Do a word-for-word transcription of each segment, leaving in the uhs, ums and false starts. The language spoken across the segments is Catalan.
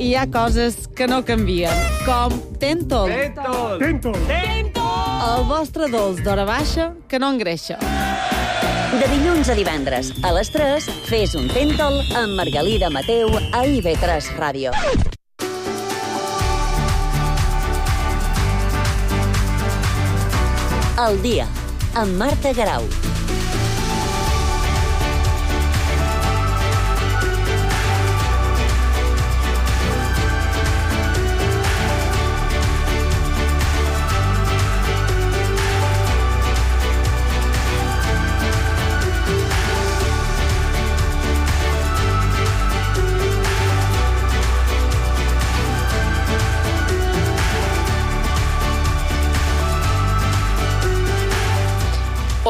hi ha coses que no canvien, com Tentol. Tentol! Tentol! El vostre dolç d'hora baixa que no engreixa. De dilluns a divendres, a les tres, fes un Tentol amb Margalida Mateu a I V tres Ràdio. El dia, amb Marta Garau.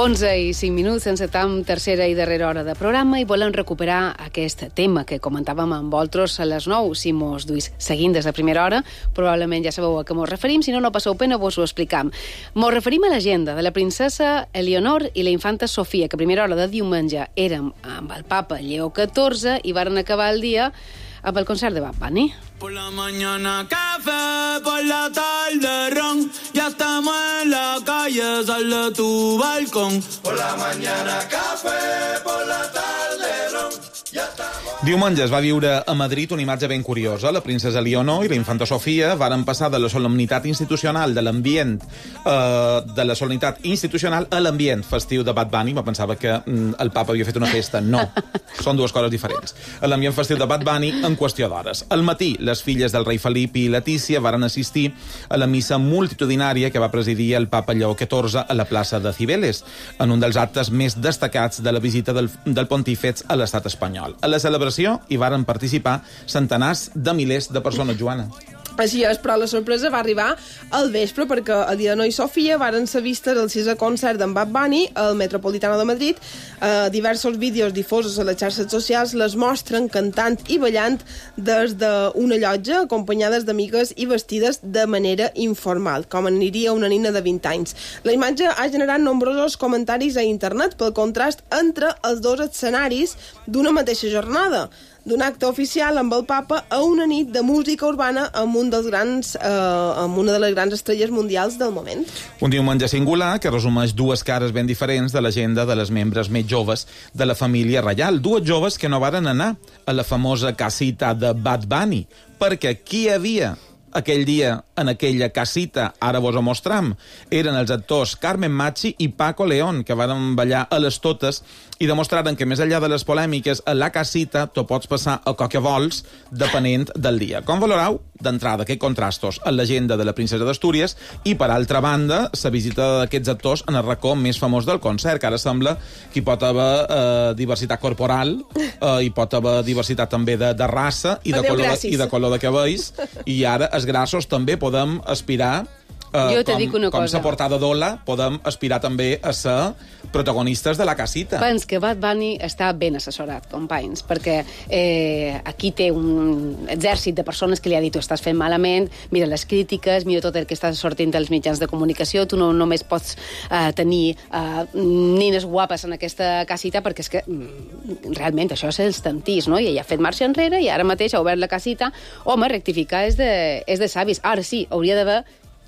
onze i cinc minuts, encetam tercera i darrera hora de programa i volem recuperar aquest tema que comentàvem amb vosaltres a les nou. Si mos duis seguint des de primera hora, probablement ja sabeu a què mos referim, si no, no passeu pena, vos ho explicam. Mos referim a l'agenda de la princesa Eleonor i la infanta Sofia, que a primera hora de diumenge érem amb el papa Lleó catorze i varen acabar el dia amb el concert de Bad Bunny. Por la mañana café, por la tarde ron, ya estamos en la calle, sal de tu balcón. Por la mañana café, por la tarde ron, ya estamos... Diumenge es va viure a Madrid una imatge ben curiosa. La princesa Leonor i la infanta Sofia varen passar de la solemnitat institucional de l'ambient eh, de la solemnitat institucional a l'ambient festiu de Bad Bunny. Me pensava que mm, el papa havia fet una festa. No, són dues coses diferents. A l'ambient festiu de Bad Bunny en qüestió d'hores. Al matí, les filles del rei Felip i Letícia varen assistir a la missa multitudinària que va presidir el papa Lleó catorze a la plaça de Cibeles, en un dels actes més destacats de la visita del, del pontífex a l'estat espanyol. A la celebració hi varen participar centenars de milers de persones, Joana. Així és, però la sorpresa va arribar al vespre perquè Eleonor i Sofia varen ser vistes al sisè concert d'en Bad Bunny al Metropolitano de Madrid. Eh, diversos vídeos difosos a les xarxes socials les mostren cantant i ballant des d'una llotja acompanyades d'amigues i vestides de manera informal, com aniria una nina de vint anys. La imatge ha generat nombrosos comentaris a internet pel contrast entre els dos escenaris d'una mateixa jornada, d'un acte oficial amb el papa a una nit de música urbana amb un dels grans, eh, amb una de les grans estrelles mundials del moment. Un diumenge singular que resumeix dues cares ben diferents de l'agenda de les membres més joves de la família reial. Dues joves que no varen anar a la famosa casita de Bad Bunny, perquè qui hi havia aquell dia en aquella casita, ara vos ho mostram, eren els actors Carmen Machi i Paco León, que van ballar a les totes i demostraren que més enllà de les polèmiques, a la casita t'ho pots passar a qual que vols, depenent del dia. Com valorau, d'entrada, aquests contrastos en l'agenda de la princesa d'Astúries i, per altra banda, la visita d'aquests actors en el racó més famós del concert, que ara sembla que hi pot haver eh, diversitat corporal, eh, hi pot haver diversitat també de, de raça i de, Adeu, color, gràcies. i de color de cabells, i ara els grassos també podem aspirar Uh, Jo te com, dic una com cosa. sa portada d'Ola, podem aspirar també a ser protagonistes de la casita. Pens que Bad Bunny està ben assessorat, companys, perquè eh, aquí té un exèrcit de persones que li ha dit tu estàs fent malament, mira les crítiques, mira tot el que està sortint dels mitjans de comunicació, tu no només pots eh, tenir eh, nines guapes en aquesta casita, perquè és que mm, realment això és els tantís, no? I ella ha fet marxa enrere i ara mateix ha obert la casita. Home, rectificar és de, és de savis. Ara sí, hauria d'haver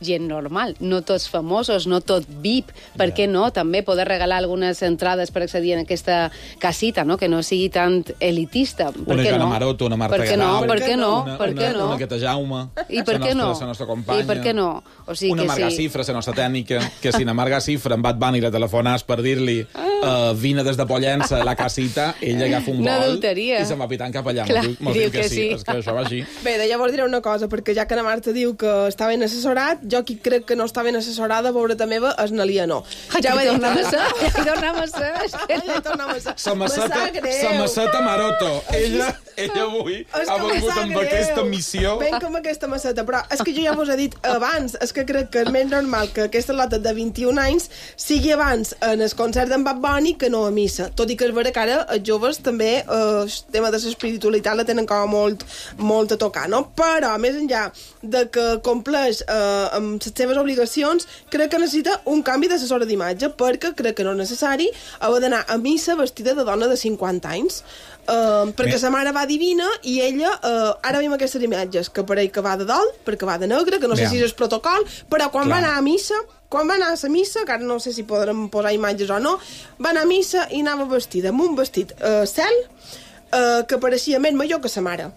gent normal, no tots famosos, no tot V I P, per què no? També poder regalar algunes entrades per accedir a aquesta casita, no? Que no sigui tan elitista. Per Una què Joana no? Maroto, una Marta Per què no? Garau. Per què no? Una, Per què una, no? una Queta Jaume, I per la què nostra, no? la nostra companya. I per què no? O sigui una que Marga sí. Cifra, la nostra tècnica, que si na Marga Cifra en Bad Bunny la telefonàs per dir-li uh, vine des de Pollença a la casita, ella agafa un Una vol adulteria. i se'n va pitant cap allà. Clar, Mos diu, mos diu diu que, que sí. sí. És que això va així. Bé, de llavors diré una cosa, perquè ja que la Marta diu que està ben assessorat, jo qui crec que no està ben assessorada, pobreta meva, és na Leonor. Ja ho he dit. tornem a ser, ja hi tornem a ser. És que... Ja hi tornem a ser. Sa Me maceta, sap greu. sa maceta Maroto. Ella, ella avui És ha que me volgut sap amb greu. aquesta missió. Venc amb aquesta maceta, però és que jo ja vos he dit abans, és que crec que és més normal que aquesta lota de vint-i-un anys sigui abans en el concert d'en Bad Bunny canònic que no a missa. Tot i que és vera que ara els joves també eh, el tema de l'espiritualitat la tenen com a molt, molt a tocar, no? Però, més enllà de que compleix eh, amb les seves obligacions, crec que necessita un canvi d'assessora d'imatge, perquè crec que no és necessari haver d'anar a missa vestida de dona de cinquanta anys. Uh, perquè sa mare va divina i ella, uh, ara veiem aquestes imatges que pareix que va de dol, perquè va de negre, que no sé Veam. si és el protocol, però quan Clar. va anar a missa, quan va anar a la missa, que ara no sé si podrem posar imatges o no, va anar a missa i anava vestida amb un vestit uh, cel uh, que pareixia més major que sa mare.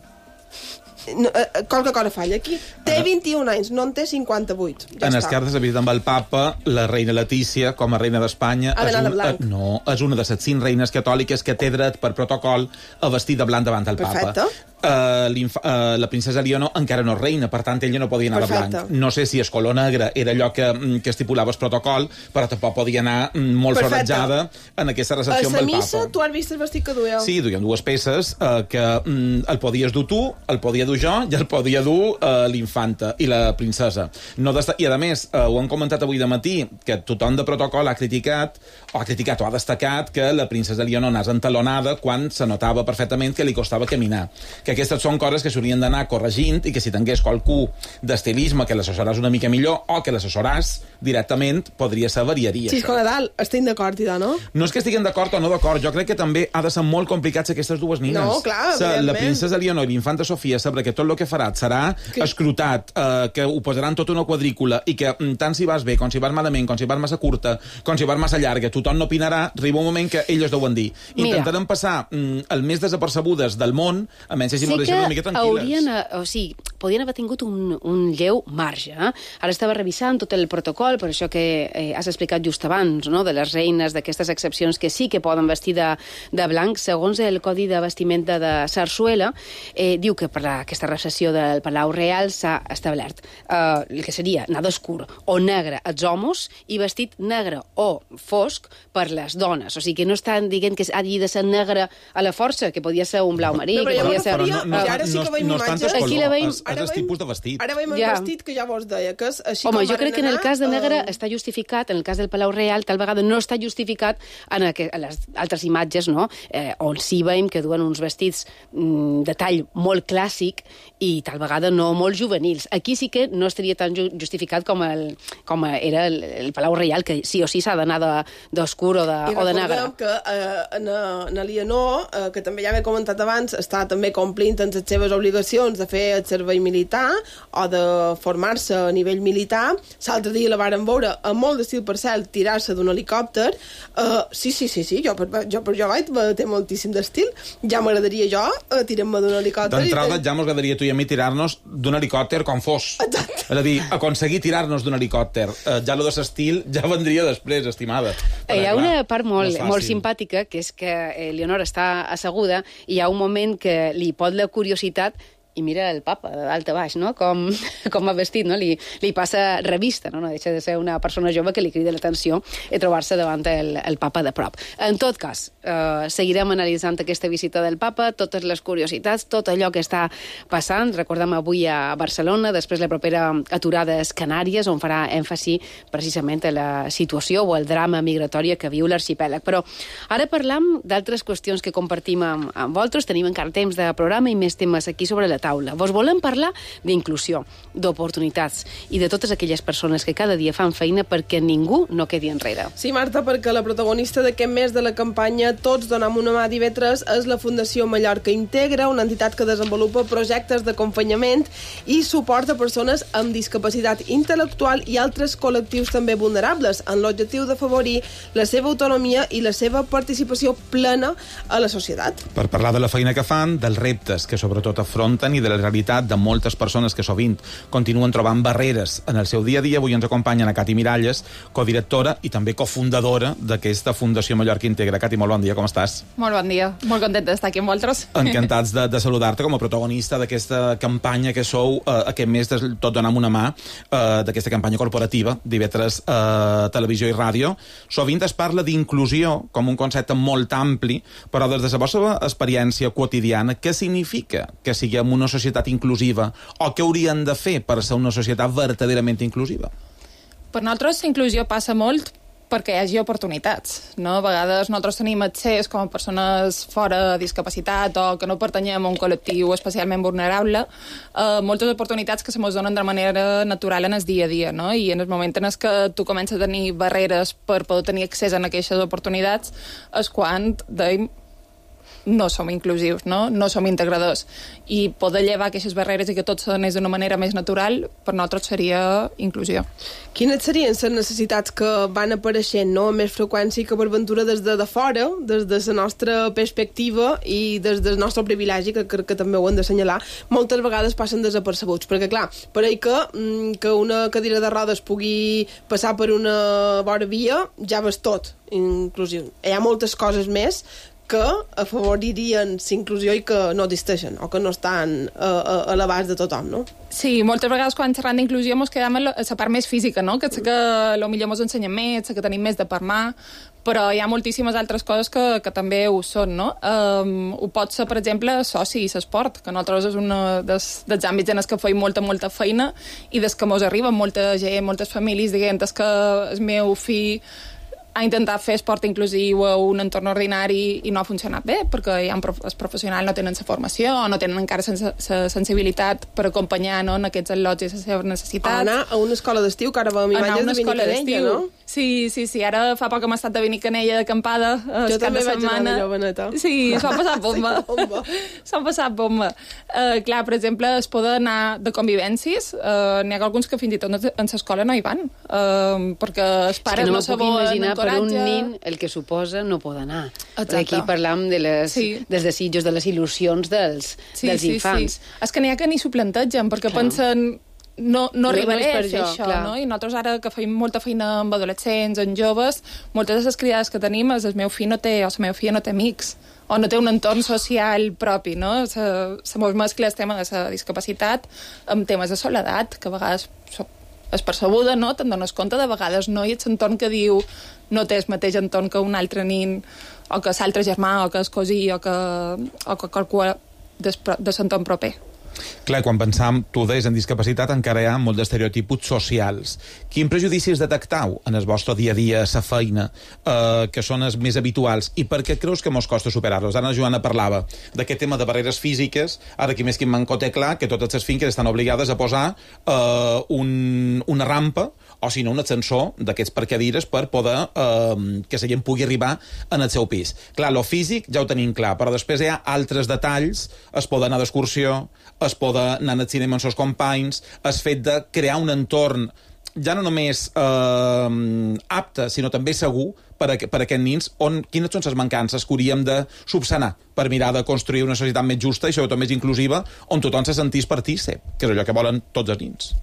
No, uh, qualque cosa falla aquí. Té vint-i-un anys, no en té cinquanta-vuit. Ja en està. les cartes de visita amb el papa, la reina Letícia, com a reina d'Espanya, Ha d'anar de un, blanc. eh, no, és una de les cinc reines catòliques que té dret per protocol a vestir de blanc davant del Perfecte. papa. Uh, uh, la princesa Leonor encara no és reina, per tant ella no podia anar Perfecte. de blanc. No sé si el color negre era allò que, que estipulava el protocol, però tampoc podia anar mm, molt Perfecte. forratjada en aquesta A recepció amb la el missa, papa. tu has vist el vestit que duia? Sí, duien dues peces eh, que mm, el podies dur tu, el podia dur jo i el podia dur eh, l'infanta i la princesa. No desta... I, a més, eh, ho han comentat avui de matí, que tothom de protocol ha criticat, o ha criticat o ha destacat que la princesa Leonor anés entalonada quan se notava perfectament que li costava caminar. Que aquestes són coses que s'haurien d'anar corregint i que si tingués qualcú d'estilisme que l'assessoràs una mica millor o que l'assessoràs directament, podria ser variaria. Sí, això. a dalt, estic d'acord, Ida, no? No és que estiguin d'acord o no d'acord, jo crec que també ha de ser molt complicat aquestes dues nines. No, clar, Sa, la evidentment. princesa Leonor i l'infanta Sofia sabrà que tot el que farà serà Que- escrutat, eh, que ho posaran tota una quadrícula i que mm, tant si vas bé, com si vas malament, com si vas massa curta, com si vas massa llarga, tothom no opinarà, arriba un moment que elles deuen dir. Mira. Intentarem passar mm, el més desapercebudes del món, a menys si Sí m'ho que deixem una mica tranquil·les. haurien, eh, o sigui, podien haver tingut un, un lleu marge. Eh? Ara estava revisant tot el protocol, per això que eh, has explicat just abans, no?, de les reines, d'aquestes excepcions que sí que poden vestir de, de blanc. Segons el Codi de Vestimenta de Sarsuela, eh, diu que per a aquesta recepció del Palau Real s'ha establert eh, el que seria anar d'escur o negre als homes i vestit negre o fosc per les dones. O sigui, que no estan dient que hagi de ser negre a la força, que podia ser un blau marí, No, però que jo podia me ser... referia- Però no, no, I ara sí que no, veiem no és tant el imatges. color, Aquí la veiem- és, és ara el veiem- tipus de vestit. Ara veiem el Ja. vestit que ja vos deia, que és així Home, com jo varen crec que en el anar, cas de negre eh, està justificat, en el cas del Palau Real, tal vegada no està justificat en, aqu en les altres imatges, no?, eh, on sí veiem que duen uns vestits mm, de tall molt clàssic i tal vegada no molt juvenils. Aquí sí que no estaria tan ju justificat com, el, com era el, el Palau Real, que sí o sí s'ha d'anar d'oscur o de, I o de negre. recordem que eh, en, en Alienor, eh, que també ja m'he comentat abans, està també complint en les seves obligacions de fer el servei militar o de formar-se a nivell militar. L'altre dia la varen veure amb molt d'estil per cel tirar-se d'un helicòpter. Uh, sí, sí, sí, sí, jo per jo, per jo vaig té moltíssim d'estil. Ja m'agradaria jo uh, tirar-me d'un helicòpter. D'entrada, i- ja ens agradaria tu i a mi tirar-nos d'un helicòpter com fos. Exacte. És a dir, aconseguir tirar-nos d'un helicòpter. Eh, ja lo de l'estil ja vendria després, estimada. Hi ha Perquè, una clar, part no molt, és fàcil. molt simpàtica, que és que eh, Leonor està asseguda i hi ha un moment que li pot la curiositat i mira el papa de dalt a baix, no?, com, com ha vestit, no? Li, li passa revista, no? No deixa de ser una persona jove que li crida l'atenció i trobar-se davant el, el papa de prop. En tot cas, eh, seguirem analitzant aquesta visita del papa, totes les curiositats, tot allò que està passant. Recordem avui a Barcelona, després la propera aturada és Canàries, on farà èmfasi precisament a la situació o el drama migratòria que viu l'arxipèlag. Però ara parlam d'altres qüestions que compartim amb, amb vosaltres. Tenim encara temps de programa i més temes aquí sobre la taula. Vos volem parlar d'inclusió, d'oportunitats i de totes aquelles persones que cada dia fan feina perquè ningú no quedi enrere. Sí, Marta, perquè la protagonista d'aquest mes de la campanya Tots donem una mà d'I V tres és la Fundació Mallorca Integra, una entitat que desenvolupa projectes d'acompanyament i suport a persones amb discapacitat intel·lectual i altres col·lectius també vulnerables, en l'objectiu d'afavorir la seva autonomia i la seva participació plena a la societat. Per parlar de la feina que fan, dels reptes que sobretot afronten i de la realitat de moltes persones que sovint continuen trobant barreres en el seu dia a dia, avui ens acompanyen a Cati Miralles, codirectora i també cofundadora d'aquesta Fundació Mallorca Integra. Cati, molt bon dia, com estàs? Molt bon dia, molt contenta d'estar aquí amb vosaltres. Encantats de, de saludar-te com a protagonista d'aquesta campanya que sou eh, aquest mes de Tot donem una mà, eh, d'aquesta campanya corporativa d'I V tres eh, Televisió i Ràdio. Sovint es parla d'inclusió com un concepte molt ampli, però des de la vostra experiència quotidiana, què significa que siguem una societat inclusiva o què haurien de fer per ser una societat verdaderament inclusiva? Per nosaltres la inclusió passa molt perquè hi hagi oportunitats, no? A vegades nosaltres tenim accés com a persones fora de discapacitat o que no pertanyem a un col·lectiu especialment vulnerable, eh, moltes oportunitats que se mos donen de manera natural en el dia a dia, no? I en el moment en el que tu comences a tenir barreres per poder tenir accés a aquestes oportunitats és quan deim no som inclusius, no? No som integradors. I poder llevar aquestes barreres i que tot s'anés d'una manera més natural, per nosaltres seria inclusió. Quines serien les necessitats que van apareixent, no?, amb més freqüència que per ventura des de, de fora, des de la nostra perspectiva i des del nostre privilegi, que crec que també ho hem d'assenyalar, moltes vegades passen desapercebuts, perquè clar, pareix que, que una cadira de rodes pugui passar per una vora via, ja ves tot, inclusiu. Hi ha moltes coses més que afavoririen la inclusió i que no existeixen o que no estan a, a, a l'abast de tothom, no? Sí, moltes vegades quan xerrant d'inclusió ens quedem a la, a la part més física, no? Que sé que potser ens ensenyen més, sé que tenim més de parlar, però hi ha moltíssimes altres coses que, que també ho són, no? Um, ho pot ser, per exemple, soci i l'esport, que nosaltres és un dels, dels àmbits en els que feim molta, molta feina i des que mos arriba molta gent, moltes famílies dient que el meu fill a intentar fer esport inclusiu a un entorn ordinari i no ha funcionat bé, perquè hi ha prof els professionals no tenen la formació o no tenen encara la sensibilitat per acompanyar, no, en aquests al·lots i les seves necessitats. O anar a una escola d'estiu, que ara vam imatges de Benicanella, no? Sí, sí, sí. Ara fa poc hem estat de Benicanella d'acampada. Jo també vaig anar a Joveneta. Sí, s'ho ha passat bomba. S'ho ha passat bomba. Uh, clar, per exemple, es poden anar de convivències. Uh, N'hi ha alguns que fins i tot en l'escola no hi van, uh, perquè els pares no saben per un nin el que suposa no pot anar. Exacte. Aquí parlam de les, sí. dels desitjos, de les il·lusions dels, sí, dels sí, infants. Sí. És que n'hi ha que ni s'ho plantegen, perquè clar. pensen no, no arribaré no, no a fer això, clar. no? I nosaltres ara que feim molta feina amb adolescents, amb joves, moltes de les criades que tenim és el meu fill no té, o la meva filla no té amics, o no té un entorn social propi, no? Se, se mos mescla el tema de la discapacitat amb temes de soledat, que a vegades és percebuda, no? Te'n dones compte, de vegades no, i ets entorn que diu no té el mateix entorn que un altre nin, o que l'altre germà, o que el cosí, o que, o que qualcú de l'entorn proper. Clar, quan pensam, tu deies, en discapacitat, encara hi ha molt d'estereotips socials. Quin prejudicis detectau en el vostre dia a dia, sa feina, eh, que són els més habituals, i per què creus que mos costa superar-los? Ara la Joana parlava d'aquest tema de barreres físiques, ara aquí més que en Manco té clar que totes les finques estan obligades a posar eh, un, una rampa, o si no un ascensor d'aquests per cadires per poder eh, que la gent pugui arribar en el seu pis. Clar, lo físic ja ho tenim clar, però després hi ha altres detalls, es poden anar d'excursió, es poden anar al cinema amb els seus companys, el fet de crear un entorn ja no només eh, apte, sinó també segur per a, per a aquests nins, on, quines són les mancances que hauríem de subsanar per mirar de construir una societat més justa i sobretot més inclusiva, on tothom se sentís partícip, que és allò que volen tots els nins.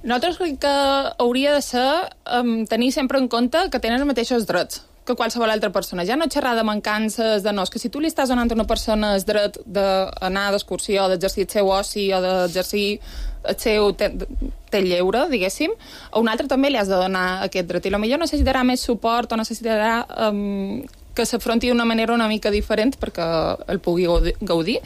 Nosaltres crec que hauria de ser um, tenir sempre en compte que tenen els mateixos drets que qualsevol altra persona. Ja no xerrar de mancances, de no, és que si tu li estàs donant a una persona el dret d'anar d'excursió, d'exercir el seu oci o d'exercir el seu té lleure, diguéssim, a un altre també li has de donar aquest dret. I potser necessitarà més suport o necessitarà um, que s'afronti d'una manera una mica diferent perquè el pugui gaudir,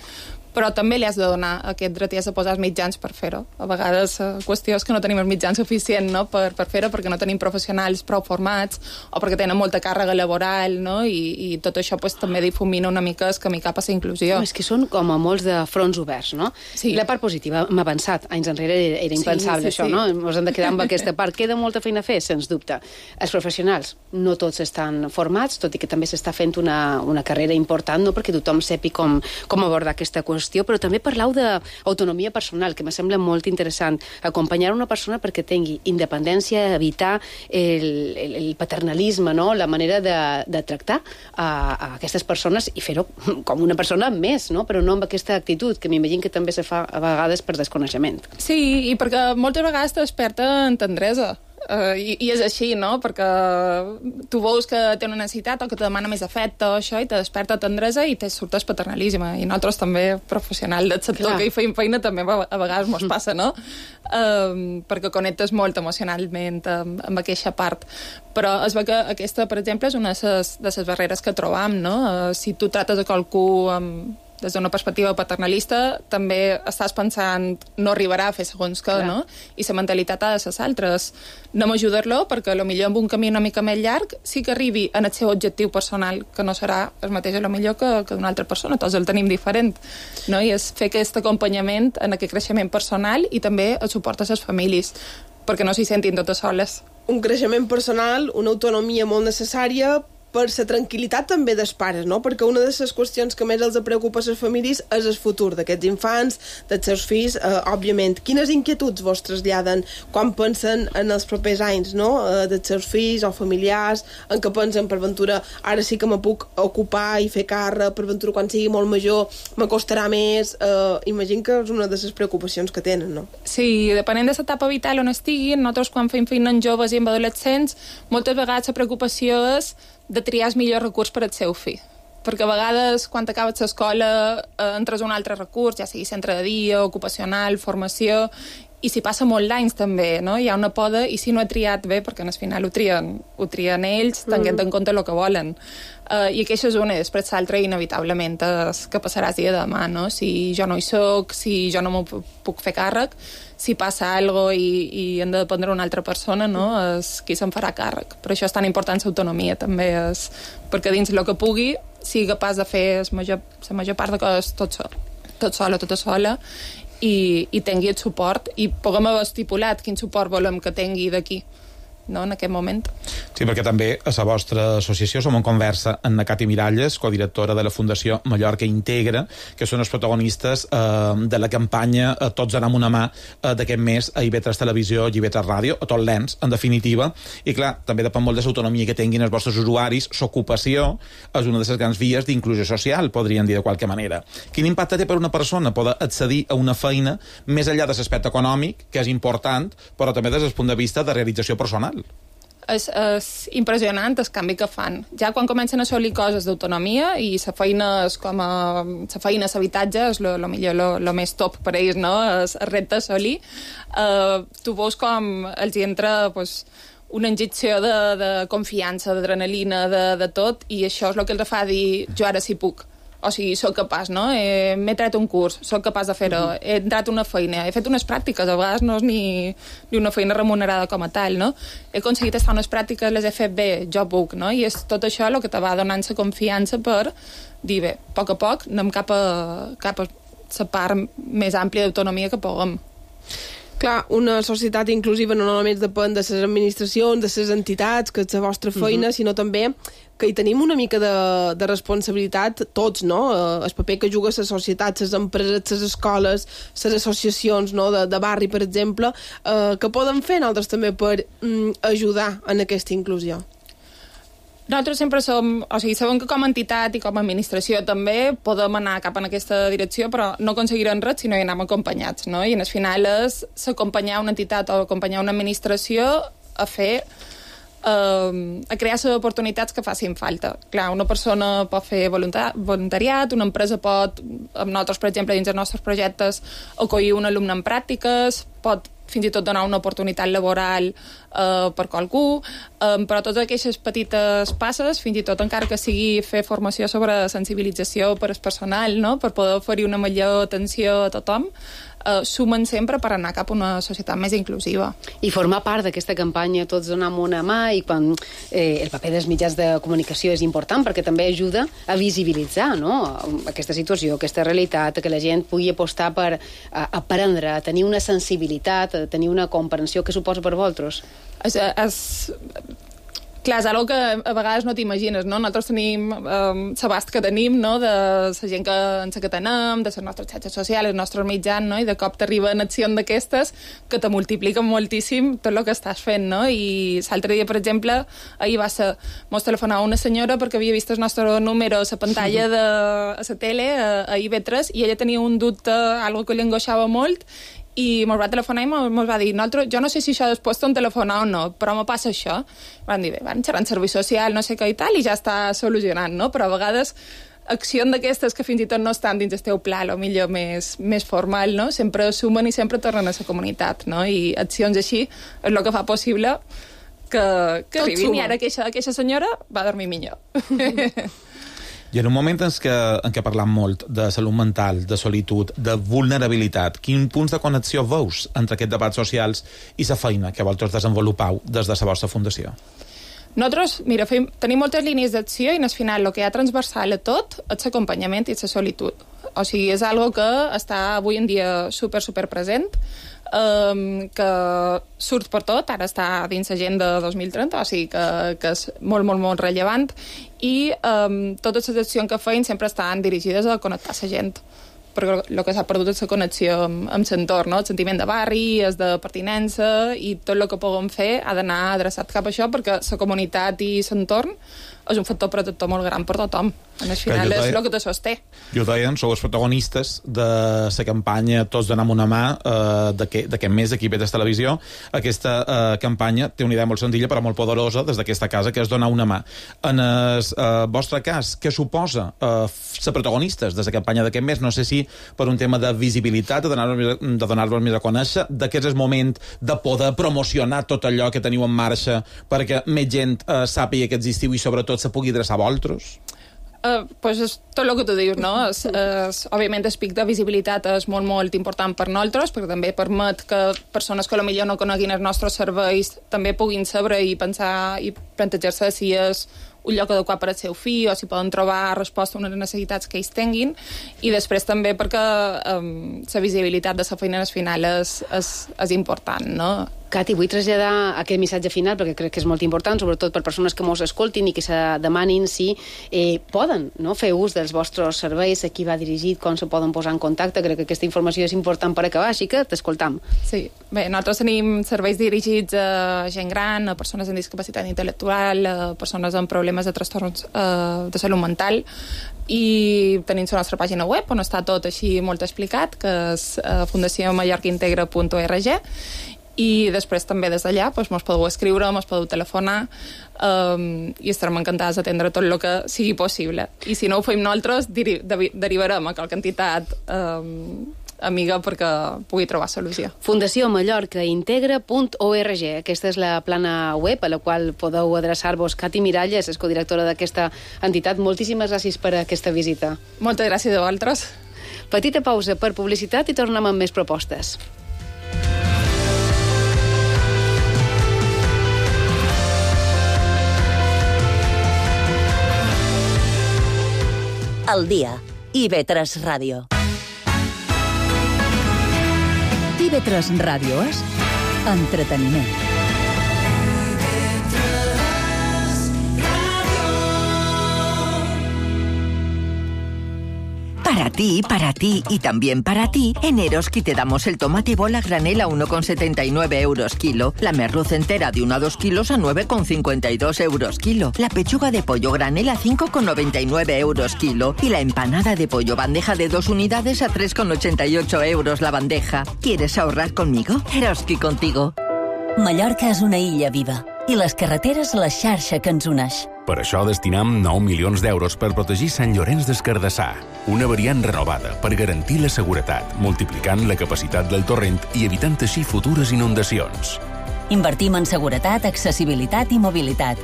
però també li has de donar aquest dret i has de posar els mitjans per fer-ho. A vegades la qüestió és que no tenim els mitjans suficients, no?, per, per fer-ho, perquè no tenim professionals prou formats o perquè tenen molta càrrega laboral, no?, i, i tot això pues, també difumina una mica el camí cap a la inclusió. No, és que són com a molts de fronts oberts, no? Sí. La part positiva, hem avançat. Anys enrere era impensable, sí, sí, això, sí. no? Ens hem de quedar amb aquesta part. Queda molta feina a fer, sens dubte. Els professionals no tots estan formats, tot i que també s'està fent una, una carrera important, no?, perquè tothom sepi com, com abordar aquesta qüestió, però també parlau d'autonomia personal, que me sembla molt interessant. Acompanyar una persona perquè tingui independència, evitar el, el, el paternalisme, no?, la manera de, de tractar a, a aquestes persones i fer-ho com una persona més, no?, però no amb aquesta actitud, que m'imagino que també se fa a vegades per desconeixement. Sí, i perquè moltes vegades te desperta en tendresa. Uh, i, i és així, no? Perquè tu veus que té una necessitat o que te demana més afecte o això i te desperta tendresa i te surt el paternalisme. I nosaltres també, professionals del sector Clar. que hi feim feina, també a vegades mos passa, no? Uh, perquè connectes molt emocionalment amb, amb aquesta part. Però es veu que aquesta, per exemple, és una de les barreres que trobam, no? Uh, si tu trates a qualcú amb des d'una perspectiva paternalista, també estàs pensant no arribarà a fer segons que, no? I la mentalitat ha de ser altres. Anem a ajudar-lo perquè potser amb un camí una mica més llarg sí que arribi en el seu objectiu personal, que no serà el mateix a lo millor que, que d'una altra persona, tots el tenim diferent, no? I és fer aquest acompanyament en aquest creixement personal i també el suport a les famílies, perquè no s'hi sentin totes soles. Un creixement personal, una autonomia molt necessària per la tranquil·litat també dels pares, no? Perquè una de les qüestions que més els preocupa a les famílies és el futur d'aquests infants, dels seus fills, eh, òbviament. Quines inquietuds vos traslladen quan pensen en els propers anys, no? Eh, dels seus fills o familiars, en què pensen, per ventura, ara sí que me puc ocupar i fer càrrec, per ventura, quan sigui molt major, m'acostarà més. Eh, imagino que és una de les preocupacions que tenen, no? Sí, depenent de l'etapa vital on estiguin, nosaltres quan fem feina en joves i en adolescents, moltes vegades la preocupació és de triar el millor recurs per al seu fill. Perquè a vegades, quan acabes l'escola, eh, entres a un altre recurs, ja sigui centre de dia, ocupacional, formació, i s'hi passa molt d'anys també, no? Hi ha una poda, i si no he triat bé, perquè al final ho trien, ho trien ells, tenint mm. en compte el que volen. Uh, I aquesta és una, i després l'altra, inevitablement, és que passaràs dia de demà, no? Si jo no hi soc, si jo no m'ho puc fer càrrec, si passa alguna cosa i, i hem de dependre una altra persona, no? És qui se'n farà càrrec. Per això és tan important l'autonomia, també, és, perquè dins el que pugui sigui capaç de fer la major, la major part de coses tot sol, tot sola, tota sola, i, i tingui el suport, i puguem haver estipulat quin suport volem que tingui d'aquí, no, en aquest moment. Sí, perquè també a la vostra associació som en conversa amb na Cati Miralles, codirectora de la Fundació Mallorca Integra, que són els protagonistes eh, de la campanya eh, Tots anem una mà eh, d'aquest mes a I V tres Televisió i I V tres Ràdio, a tot l'ens, en definitiva. I clar, també depèn molt de l'autonomia que tinguin els vostres usuaris. L'ocupació és una de les grans vies d'inclusió social, podríem dir de qualque manera. Quin impacte té per una persona poder accedir a una feina més enllà de l'aspecte econòmic, que és important, però també des del punt de vista de realització personal? És, és impressionant el canvi que fan. Ja quan comencen a assolir coses d'autonomia i la feina és com a... la feina a l'habitatge és lo, lo millor, lo, lo més top per ells, no? És el repte a assolir. Uh, tu veus com els hi entra pues, una injecció de, de confiança, d'adrenalina, de, de tot, i això és el que els fa dir jo ara sí puc. O sigui, soc capaç, no? Eh, m'he tret un curs, soc capaç de fer-ho, mm-hmm. he entrat a una feina, he fet unes pràctiques, a vegades no és ni, ni una feina remunerada com a tal, no? He aconseguit estar unes pràctiques, les he fet bé, jo puc, no? I és tot això el que te va donant la confiança per dir, bé, a poc a poc anem cap a, cap a la part més àmplia d'autonomia que puguem. Clar, una societat inclusiva no només depèn de les administracions, de les entitats, que és la vostra feina, uh-huh. sinó també que hi tenim una mica de, de responsabilitat tots, no? El paper que juga la societat, les empreses, les escoles, les associacions, no? de, de barri, per exemple, eh, que poden fer nosaltres també per mm, ajudar en aquesta inclusió. Nosaltres sempre som, o sigui, sabem que com a entitat i com a administració també podem anar cap en aquesta direcció, però no aconseguirem res si no hi anem acompanyats, no? I en el final és acompanyar una entitat o acompanyar una administració a fer Uh, a crear les oportunitats que facin falta. Clar, una persona pot fer voluntariat, una empresa pot, amb nosaltres, per exemple, dins dels nostres projectes, acollir un alumne en pràctiques, pot fins i tot donar una oportunitat laboral uh, per qualcú, um, però totes aquestes petites passes, fins i tot encara que sigui fer formació sobre sensibilització per al personal, no? Per poder oferir una millor atenció a tothom, Uh, sumen sempre per anar cap a una societat més inclusiva. I formar part d'aquesta campanya Tots donem una mà, i quan eh, el paper dels mitjans de comunicació és important perquè també ajuda a visibilitzar, no? Aquesta situació, aquesta realitat, que la gent pugui apostar per a, aprendre, a tenir una sensibilitat, a tenir una comprensió. Què suposa per vosaltres? És... és... Clar, és una que a vegades no t'imagines, no? Nosaltres tenim um, l'abast que tenim, no?, de la gent que ens que tenem, de les nostres xarxes socials, els nostres mitjans, no?, i de cop t'arriben accions d'aquestes que te multipliquen moltíssim tot el que estàs fent, no? I l'altre dia, per exemple, ahir va ser... Mos telefonava una senyora perquè havia vist el nostre número a la pantalla de a la tele, a, a I V tres, i ella tenia un dubte, algo que li angoixava molt, i mos va telefonar i mos va dir jo no sé si això després t'ho telefonar o no, però me passa això. Van dir, bé, van xerrar en servei social, no sé què i tal, i ja està solucionant, no? Però a vegades accions d'aquestes que fins i tot no estan dins el teu pla, o millor més, més formal, no? Sempre sumen i sempre tornen a la comunitat, no? I accions així és el que fa possible que, que arribin, i ara aquesta, aquesta senyora va dormir millor. I en un moment en què, en què parlam molt de salut mental, de solitud, de vulnerabilitat, quins punts de connexió veus entre aquests debats socials i la feina que vosaltres desenvolupau des de la vostra fundació? Nosaltres, mira, fem, tenim moltes línies d'acció i al final el que hi ha transversal a tot és l'acompanyament i la solitud. O sigui, és algo que està avui en dia super, super present, um, que surt per tot, ara està dins l'agenda dos mil trenta, o sigui que, que és molt, molt, molt rellevant, i um, totes les accions que feim sempre estan dirigides a connectar la gent, perquè el que s'ha perdut és la connexió amb, amb l'entorn, no? El sentiment de barri, és de pertinença, i tot el que puguem fer ha d'anar adreçat cap a això, perquè la comunitat i l'entorn és un factor protector molt gran per tothom. En el final deia, és el que te sosté. Jo deien, sou els protagonistes de la campanya Tots donem una mà eh, d'aquest mes d'aquí a Vetres Televisió. Aquesta eh, campanya té una idea molt senzilla però molt poderosa des d'aquesta casa, que és donar una mà. En el eh, vostre cas, què suposa eh, ser protagonistes de la campanya d'aquest mes? No sé si per un tema de visibilitat, de donar-vos de donar-vos més a conèixer, d'aquest és el moment de poder promocionar tot allò que teniu en marxa perquè més gent eh, sàpiga que existiu i sobretot se pugui adreçar a vosaltres? Uh, pues és tot el que tu dius, no? És, és, òbviament el pic de visibilitat és molt, molt important per nosaltres, perquè també permet que persones que potser no coneguin els nostres serveis també puguin saber i pensar i plantejar-se si és un lloc adequat per al seu fill o si poden trobar resposta a unes necessitats que ells tinguin, i després també perquè um, la visibilitat de la feina al final és, és, és important, no? Cati, vull traslladar aquest missatge final perquè crec que és molt important, sobretot per persones que mos escoltin i que se demanin si eh, poden, no?, fer ús dels vostres serveis, a qui va dirigit, com se poden posar en contacte. Crec que aquesta informació és important per acabar, així que t'escoltam. Sí, bé, nosaltres tenim serveis dirigits a gent gran, a persones amb discapacitat intel·lectual, a persones amb problemes de trastorns eh, de salut mental, i tenim la nostra pàgina web on està tot així molt explicat, que és eh, fundació mallorca integra punt org, i després també des d'allà doncs, mos podeu escriure, mos podeu telefonar, um, i estarem encantats d'atendre tot el que sigui possible. I si no ho fem nosaltres, deri derivarem a qualque entitat um, amiga perquè pugui trobar solució. Fundació mallorca integra punt org. Aquesta és la plana web a la qual podeu adreçar-vos. Cati Miralles és codirectora d'aquesta entitat. Moltíssimes gràcies per aquesta visita. Moltes gràcies a vosaltres. Petita pausa per publicitat i tornem amb més propostes. Al dia. I ve tres Ràdio. I ve tres Ràdio és entreteniment. Para ti, para ti y también para ti, en Eroski te damos el tomate bola granel a uno con setenta y nueve euros kilo, la merluz entera de uno a dos kilos a nueve con cincuenta y dos euros kilo, la pechuga de pollo granel a cinco con noventa y nueve euros kilo y la empanada de pollo bandeja de dos unidades a tres con ochenta y ocho euros la bandeja. ¿Quieres ahorrar conmigo? Eroski contigo. Mallorca és una illa viva i les carreteres la xarxa que ens uneix. Per això destinam nou milions d'euros per protegir Sant Llorenç des Cardassar, una variant renovada per garantir la seguretat, multiplicant la capacitat del torrent i evitant així futures inundacions. Invertim en seguretat, accessibilitat i mobilitat.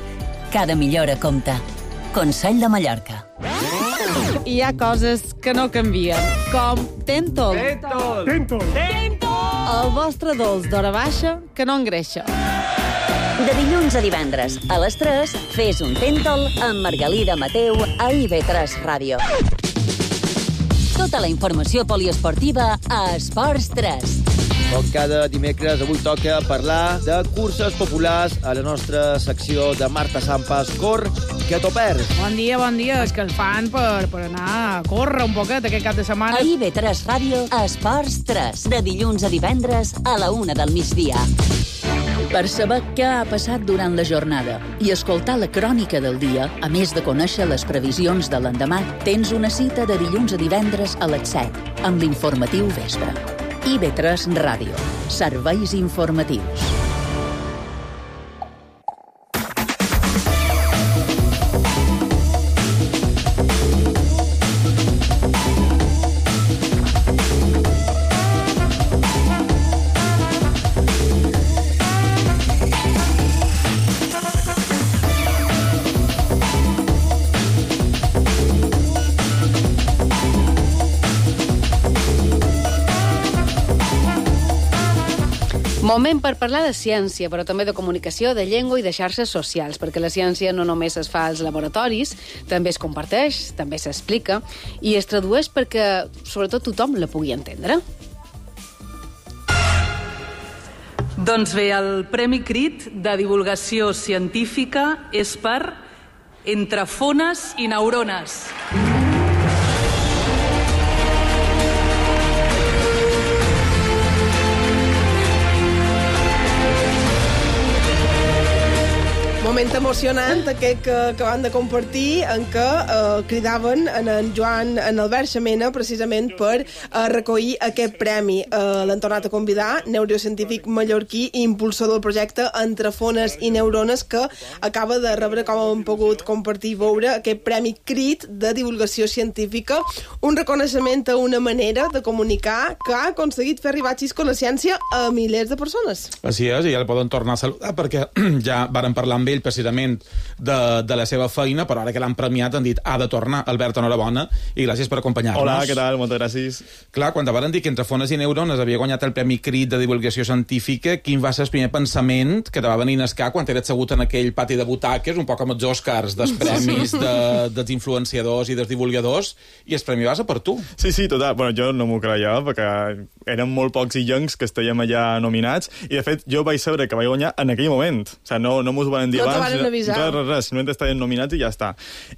Cada millora compta. Consell de Mallorca. Hi ha coses que no canvien, com Tentol. Tentol! Tentol! El vostre dolç d'hora baixa que no engreixa. De dilluns a divendres, a les tres, fes un Tentol amb Margalida Mateu a I ve tres Ràdio. Tota la informació poliesportiva a Esports tres. Com cada dimecres, avui toca parlar de curses populars a la nostra secció de Marta Sampas. Cor, que t'ho perds. Bon dia, bon dia. És que els fan per, per anar a córrer un poquet aquest cap de setmana. A I ve tres Ràdio, a Esports tres. De dilluns a divendres a la una del migdia. Per saber què ha passat durant la jornada i escoltar la crònica del dia, a més de conèixer les previsions de l'endemà, tens una cita de dilluns a divendres a les set, amb l'informatiu vespre. I ve tres Ràdio. Serveis informatius. Moment per parlar de ciència, però també de comunicació, de llengua i de xarxes socials, perquè la ciència no només es fa als laboratoris, també es comparteix, també s'explica, i es tradueix perquè, sobretot, tothom la pugui entendre. Doncs bé, el Premi Crit de Divulgació Científica és per Entre fones i neurones. Moment emocionant aquest que, que van de compartir en què eh, cridaven en, en Joan en Albert Xamena precisament per eh, recollir aquest premi. Eh, L'han tornat a convidar, neurocientífic mallorquí i impulsor del projecte Entre fones i neurones, que acaba de rebre, com hem pogut compartir i veure, aquest Premi Crit de Divulgació Científica, un reconeixement a una manera de comunicar que ha aconseguit fer arribar xisco la ciència a milers de persones. Així és, i ja el poden tornar a saludar perquè ja varen parlar amb ell precisament de, de la seva feina, però ara que l'han premiat han dit ha de tornar. Albert, enhorabona i gràcies per acompanyar-nos. Hola, què tal? Moltes gràcies. Clar, quan te varen dir que Entre fones i neurones havia guanyat el Premi Crit de Divulgació Científica, quin va ser el primer pensament que te va venir a escar quan eres assegut en aquell pati de butaques, un poc amb els Oscars dels premis de, dels influenciadors i dels divulgadors, i el premi va ser per tu? Sí, sí, total. Bueno, jo no m'ho creia, perquè eren molt pocs illencs que estàvem allà nominats, i de fet jo vaig saber que vaig guanyar en aquell moment. O sigui, no, no m'ho van dir no abans. No res, res, res, simplement estaven nominats i ja està.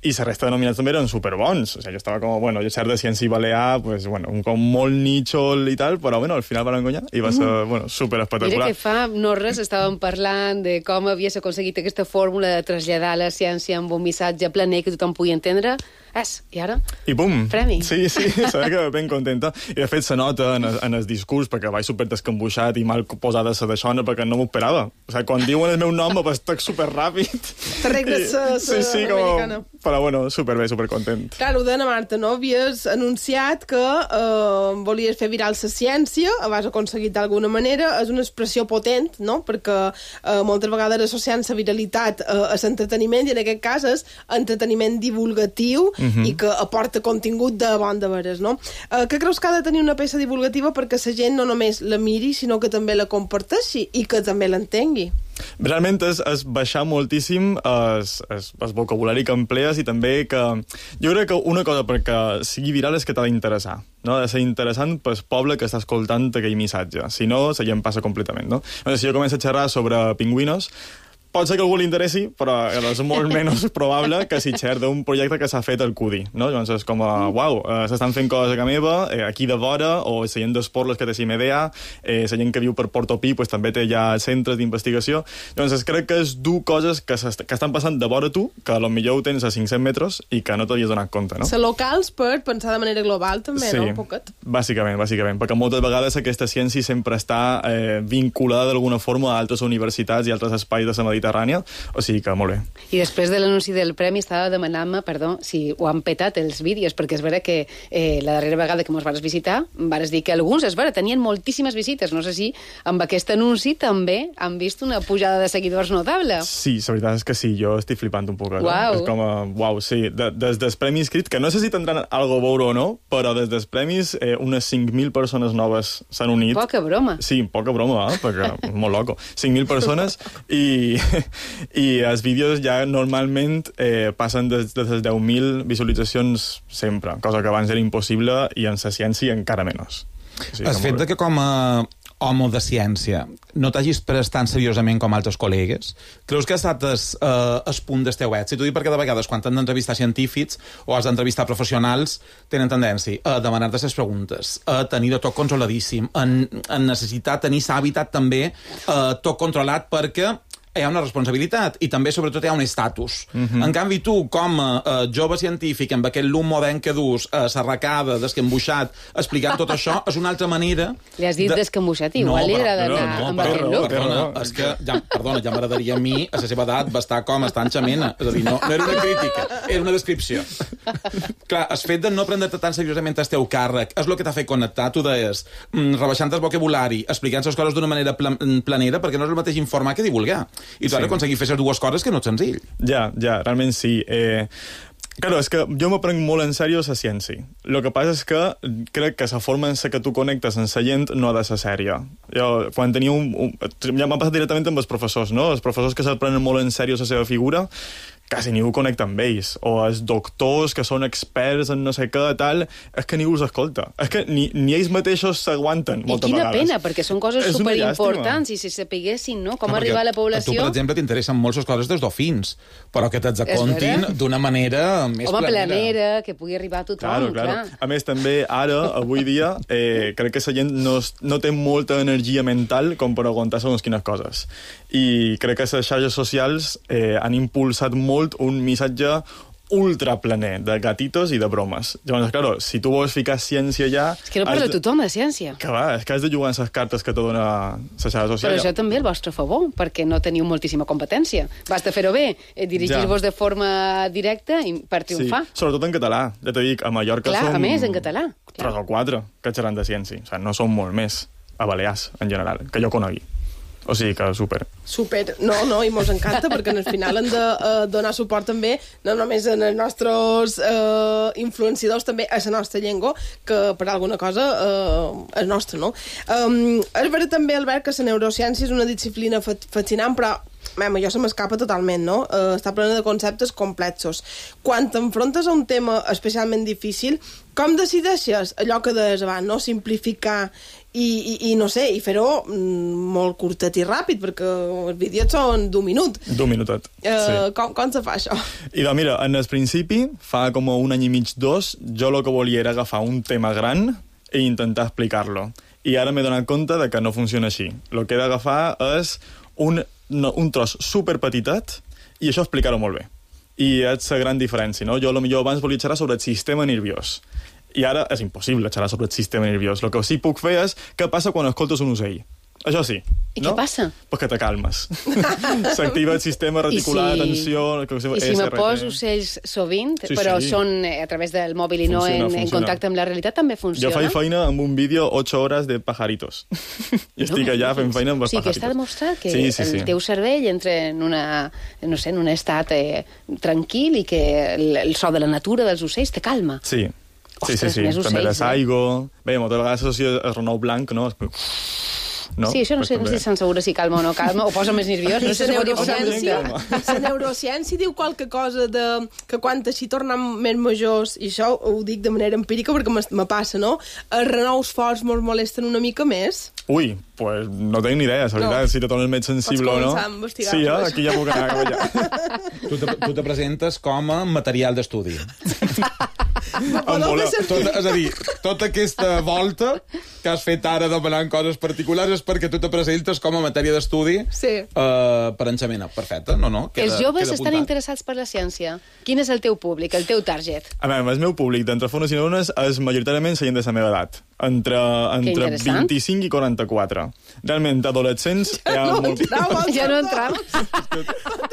I la resta de nominats també eren superbons. O sigui, jo estava com, bueno, jo cert de ciència i balear, pues, bueno, un com molt nítxol i tal, però bueno, al final van guanyar i va ser, mm. bueno, superespectacular. Mira que fa no res estàvem parlant de com havies aconseguit aquesta fórmula de traslladar la ciència amb un missatge planer que tothom pugui entendre. És, i ara? I bum! Premi. Sí, sí, sabia que ben contenta. I de fet se nota en, en el discurs, perquè vaig super descambuixat i mal posada la deixona, perquè no m'ho esperava. O sigui, quan diuen el meu nom me pastec superràpid. T'arregles la sí, sí, com... Però bueno, superbé, supercontent. Clar, ho deia Marta, no? Havies anunciat que eh, volies fer viral la ciència, ho has aconseguit d'alguna manera, és una expressió potent, no? Perquè eh, moltes vegades associant la viralitat eh, a l'entreteniment, i en aquest cas és entreteniment divulgatiu, uh-huh. i que aporta contingut de bon de veres, no? Eh, què creus que ha de tenir una peça divulgativa perquè la gent no només la miri, sinó que també la comparteixi i que també l'entengui? Realment és, és baixar moltíssim el vocabulari que emplees, i també que... Jo crec que una cosa perquè sigui viral és que t'ha d'interessar, no? Ha de ser interessant pel poble que està escoltant aquell missatge. Si no, la gent passa completament, no? Si jo començo a xerrar sobre pingüinos, pot ser que algú li interessi, però és molt menys probable que si xer d'un projecte que s'ha fet al C U D I, no? Llavors és com, a, uau, eh, s'estan fent coses a casa meva, eh, aquí de vora, o la gent d'esports que té C I M E D A, eh, la gent que viu per Portopí pues, també té ja centres d'investigació. Llavors crec que és dur coses que, que estan passant de vora tu, que potser ho tens a cinc-cents metres i que no t'havies donat compte, no? Ser locals per pensar de manera global també, sí, no? Un poquet. Bàsicament, bàsicament, perquè moltes vegades aquesta ciència sempre està eh, vinculada d'alguna forma a altres universitats i altres espais de la Mediterrània. O sigui que molt bé. I després de l'anunci del premi estava demanant-me, perdó, si ho han petat els vídeos, perquè és vera que eh, la darrera vegada que mos vas visitar, vas dir que alguns, és vera, tenien moltíssimes visites. No sé si amb aquest anunci també han vist una pujada de seguidors notable. Sí, la veritat és que sí, jo estic flipant un poc. Uau. És com a, uau, sí. De, des dels premis Crit, que no sé si tindran algo a veure o no, però des dels premis eh, unes cinc mil persones noves s'han unit. Poca broma. Sí, poca broma, eh? Perquè molt loco. cinc mil persones i... i els vídeos ja normalment eh, passen des de les deu mil visualitzacions sempre, cosa que abans era impossible, i en la ciència encara menys. O sigui, el fet de que com a home de ciència no t'hagis pres tan seriosament com altres col·legues, creus que ha estat el, eh, el punt del teu èxit? Ho dic perquè de vegades quan t'han d'entrevistar científics o has d'entrevistar professionals tenen tendència a demanar-te les preguntes, a tenir tot controladíssim, a, a necessitar tenir l'hàbitat també eh, tot controlat, perquè hi ha una responsabilitat i també, sobretot, hi ha un estatus. Uh-huh. En canvi, tu, com a uh, jove científic, amb aquest llum modern que dus, uh, s'arracada, descambuixat, explicant tot això, és una altra manera... Li has dit de... descambuixat, igual no, li agrada anar no, no, amb aquest look. Perdona, és que, ja, perdona, ja m'agradaria a mi, a la seva edat, va estar com estar en xamena. És a dir, no, no era una crítica, era una descripció. Clar, el fet de no prendre-te tan seriosament el teu càrrec és el que t'ha fet connectar, tu deies, mm, rebaixant el vocabulari, explicant les coses d'una manera pla planera, perquè no és el mateix informar que divulgar. I tu sí. Has d'aconseguir fer les dues coses, que no és senzill. Ja, ja, realment sí. Eh, Claro, és que jo m'ho prenc molt en sèrio la ciència. El que passa és que crec que la forma en què tu connectes amb la gent no ha de ser sèria. Jo, quan tenia un... un ja m'ha passat directament amb els professors, no? Els professors que se'l prenen molt en sèrio la seva figura, quasi ningú connecta amb ells. O els doctors que són experts en no sé què, tal, és que ningú els escolta. És que ni, ni ells mateixos s'aguanten moltes vegades. I quina pena, perquè són coses és superimportants, i si sapiguessin, no?, com no, arribar a la població... A tu, per exemple, t'interessen molt les coses dels dofins, però que te'ls acontin d'una manera més Home, planera. planera, que pugui arribar a tothom, claro, claro. clar. A més, també, ara, avui dia, eh, crec que la gent no, no té molta energia mental com per aguantar segons quines coses. I crec que les xarxes socials eh, han impulsat molt un missatge ultraplaner de gatitos i de bromes. Llavors, claro, si tu vols ficar ciència allà... És que no parla de... tothom de ciència. Que va, és que has de jugar amb les cartes que te dona la xarxa social. Però això també el vostre favor, perquè no teniu moltíssima competència. Basta fer-ho bé, eh, dirigir-vos ja. de forma directa i per triomfar. Sí, sobretot en català. Ja t'ho dic, a Mallorca clar, som... a més, en català. Tres o quatre que xerran de ciència. O sigui, no són molt més a Balears, en general, que jo conegui. O sigui que super. Super. No, no, i mos encanta, perquè al final hem de uh, donar suport també, no només en els nostres uh, influenciadors, també a la nostra llengua, que per alguna cosa uh, és nostra, no? Um, és vera també, Albert, que la neurociència és una disciplina fascinant, però Mem, jo se m'escapa totalment, no? Uh, està plena de conceptes complexos. Quan t'enfrontes a un tema especialment difícil, com decideixes allò que deies abans, no? Simplificar i, i, i no sé, i fer-ho mm, molt curtet i ràpid, perquè els vídeos són d'un minut. D'un minutet, uh, sí. Com, com se fa això? I doncs mira, en el principi, fa com un any i mig, dos, jo el que volia era agafar un tema gran i intentar explicar-lo. I ara m'he donat compte de que no funciona així. El que he d'agafar és un, no, un tros superpetitet i això explicar-ho molt bé. I és la gran diferència, no? Jo potser abans volia xerrar sobre el sistema nerviós. I ara és impossible xerrar sobre el sistema nerviós. El que sí puc fer és què passa quan escoltes un ocell. Això sí. I no? què passa? Pues que te calmes. S'activa el sistema reticular, I si, atenció... I si me poso ocells sovint, sí, però sí. són a través del mòbil i funciona, no en, funciona. en contacte amb la realitat, també funciona? Jo faig feina amb un vídeo ocho hores de pajaritos. I estic no, allà fent feina amb els sí, pajaritos. Sí, que està demostrat que sí, sí, el sí. teu cervell entra en, una, no sé, en un estat eh, tranquil i que el, el so de la natura dels ocells te calma. Sí. Sí, Ostres, sí, sí. Ocells, també de saigo... Eh? Bé, moltes vegades s'associa el renou blanc, no? No? Sí, això no sé, no sé si se'n segura si calma o no calma, o posa més nerviós. No sé la, neurociència, la neurociència diu qualque cosa de que quan així tornem més majors, i això ho dic de manera empírica perquè me passa, no? Els renous forts mos molesten una mica més. Ui, pues no tinc ni idea, la veritat, no. Si te tornes més sensible o no. Pots començar a investigar. Sí, eh? Aquí ja puc anar cap allà. Tu te, tu te presentes com a material d'estudi. Voler... Tota, és a dir, tota aquesta volta que has fet ara demanant coses particulars és perquè tu te presentes com a matèria d'estudi sí. uh, per enxamena. Perfecte, no, no? Queda, Els joves estan interessats per la ciència. Quin és el teu públic, el teu target? A veure, el meu públic d'entre fones i neurones és majoritàriament la gent de la meva edat. Entre, entre vint-i-cinc i quaranta-quatre. Realment, adolescents... Ja no molt... entrava. Ja no entrava.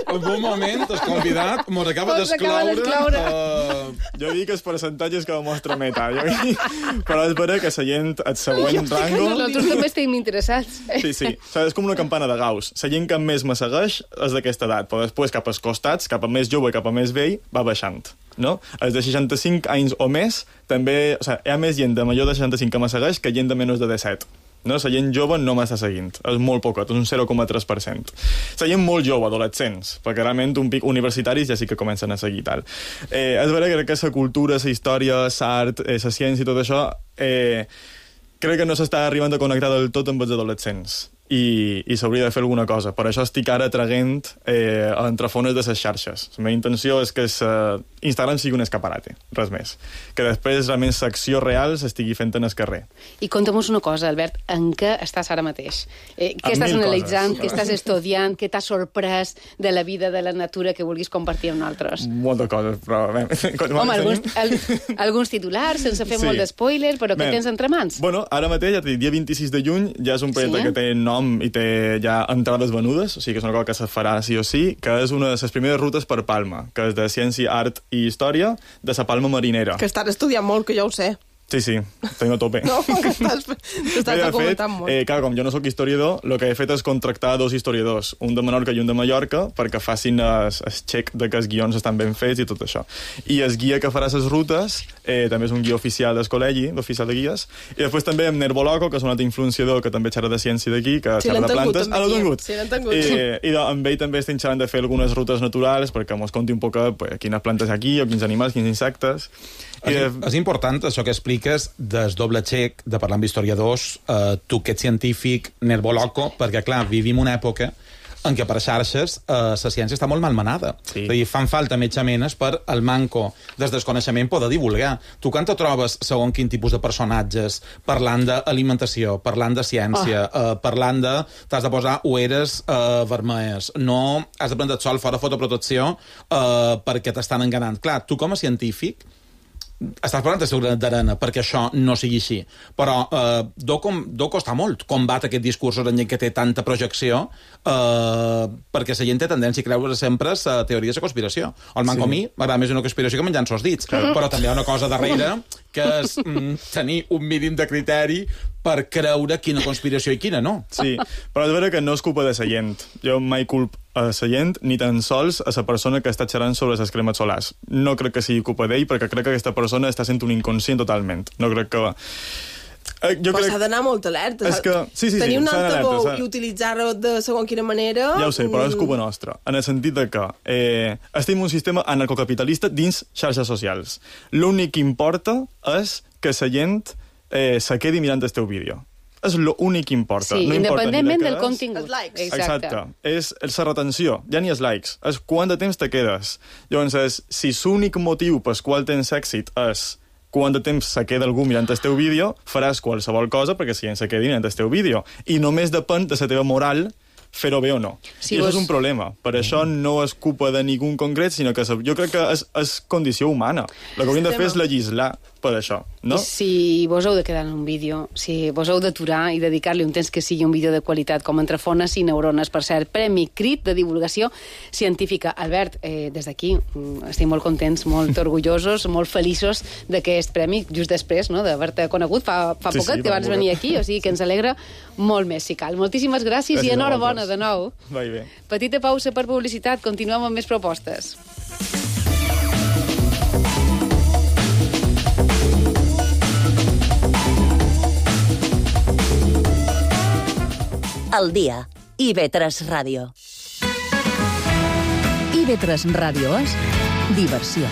En un moment, el convidat mos acaba d'esclaure... Uh... Jo dic els percentatges que mostra Meta. Jo dic... Però és vera que la gent, el següent rango... Nosaltres també estem interessats. Sí, sí. O sigui, és com una campana de Gauss. La gent que més me segueix és d'aquesta edat, però després cap als costats, cap a més jove i cap a més vell, va baixant. No? Els de seixanta-cinc anys o més, també... O sigui, hi ha més gent de major de seixanta-cinc que me segueix que gent de menys de disset. No? La gent jove no m'està seguint. És molt poquet, és un zero coma tres per cent. La gent molt jove, adolescents, perquè realment un pic universitaris ja sí que comencen a seguir tal. Eh, és vera que la cultura, la història, l'art, eh, la ciència i tot això, eh, crec que no s'està arribant a connectar del tot amb els adolescents. i, i s'hauria de fer alguna cosa. Per això estic ara traguent eh, entre fones de les xarxes. La meva intenció és que sa... Instagram sigui un escaparate, res més. Que després realment l'acció real s'estigui fent en el carrer. I conta'm-nos una cosa, Albert, en què estàs ara mateix? Eh, què estàs analitzant, què estàs estudiant, què t'ha sorprès de la vida, de la natura que vulguis compartir amb nosaltres? Moltes coses, però... Home, alguns, al, alguns titulars, sense fer sí. molt d'espoiler, però què tens entre mans? Bueno, ara mateix, ja t'he dit, dia vint-i-sis de juny, ja és un projecte sí? que té nom i té ja entrades venudes, o sigui que és una cosa que se farà sí o sí, que és una de les primeres rutes per Palma, que és de ciència, art i història de la Palma Marinera. Que estàs estudiant molt, que ja ho sé. Sí, sí, tengo a tope. No, que estàs, t'estàs documentant molt. Eh, clar, com jo no sóc historiador, el que he fet és contractar dos historiadors, un de Menorca i un de Mallorca, perquè facin el check de que els guions estan ben fets i tot això. I el guia que farà les rutes eh, també és un guia oficial del col·legi, l'oficial de guies, i després també amb Nerboloco, que és un altre influenciador que també xerra de ciència d'aquí, que sí, xerra de plantes. Ah, l'han tingut. Sí, l'han tingut. Eh, I amb ell també estem xerrant de fer algunes rutes naturals perquè mos conti un poc pues, quines plantes hi ha aquí, o quins animals, quins insectes. És, I, és important això que expliques des doble xec, de parlar amb historiadors, eh, tu que ets científic, Nerboloco, perquè, clar, vivim una època en què per xarxes eh, la ciència està molt malmenada. Sí. És a dir, fan falta metjamenes per el manco des desconeixement poder divulgar. Tu quan te trobes, segons quin tipus de personatges, parlant d'alimentació, parlant de ciència, oh. eh, parlant de... T'has de posar ulleres eh, vermelles, no has de prendre el sol fora fotoprotecció eh, perquè t'estan enganant. Clar, tu com a científic estàs parlant de seguretat d'arena perquè això no sigui així, però eh, deu, com, deu costar molt combat aquest discurs en que té tanta projecció eh, perquè la gent té tendència a creure sempre a teories de conspiració. El manco sí. a mi m'agrada més una conspiració que menjant-se els dits, claro. Però també hi ha una cosa darrere que és mm, tenir un mínim de criteri per creure quina conspiració i quina no. Sí, però és vera que no és culpa de la gent. Jo mai culp a la gent, ni tan sols a la persona que està xerrant sobre les cremes solars. No crec que sigui culpa d'ell, perquè crec que aquesta persona està sent un inconscient totalment. No crec que... Eh, jo però crec... s'ha d'anar molt alerta. És que... sí, sí, tenir sí, un altaveu s'ha... i utilitzar-ho de segons quina manera... Ja ho sé, però és culpa nostra. En el sentit de que eh, estem un sistema anarcocapitalista dins xarxes socials. L'únic que importa és que la gent eh, se quedi mirant el teu vídeo. És l'únic que importa. Sí, no independentment importa del contingut. Els likes. Exacte. Exacte. És la retenció, ja ni els likes. És quant de temps te quedes. Llavors, és, si l'únic motiu pel qual tens èxit és quant de temps se queda algú mirant el teu vídeo, faràs qualsevol cosa perquè si gent se quedi mirant el teu vídeo. I només depèn de la teva moral fer-ho bé o no. Sí, I vos... això és un problema. Per això no és culpa de ningú en concret, sinó que jo crec que és, és condició humana. El que hauríem de fer és legislar per això, no? I si vos heu de quedar en un vídeo, si vos heu d'aturar i dedicar-li un temps que sigui un vídeo de qualitat, com Entre fones i neurones, per cert, Premi Crit de divulgació científica. Albert, eh, des d'aquí estem molt contents, molt orgullosos, molt feliços d'aquest premi, just després no, d'haver-te conegut fa, fa sí, poquet, sí, que vas venir aquí, o sigui que ens alegra molt més, si cal. Moltíssimes gràcies, gràcies i enhorabona de nou. Va bé. Petita pausa per publicitat, continuem amb més propostes. Al dia. I ve tres Ràdio. I ve tres Ràdio és diversió.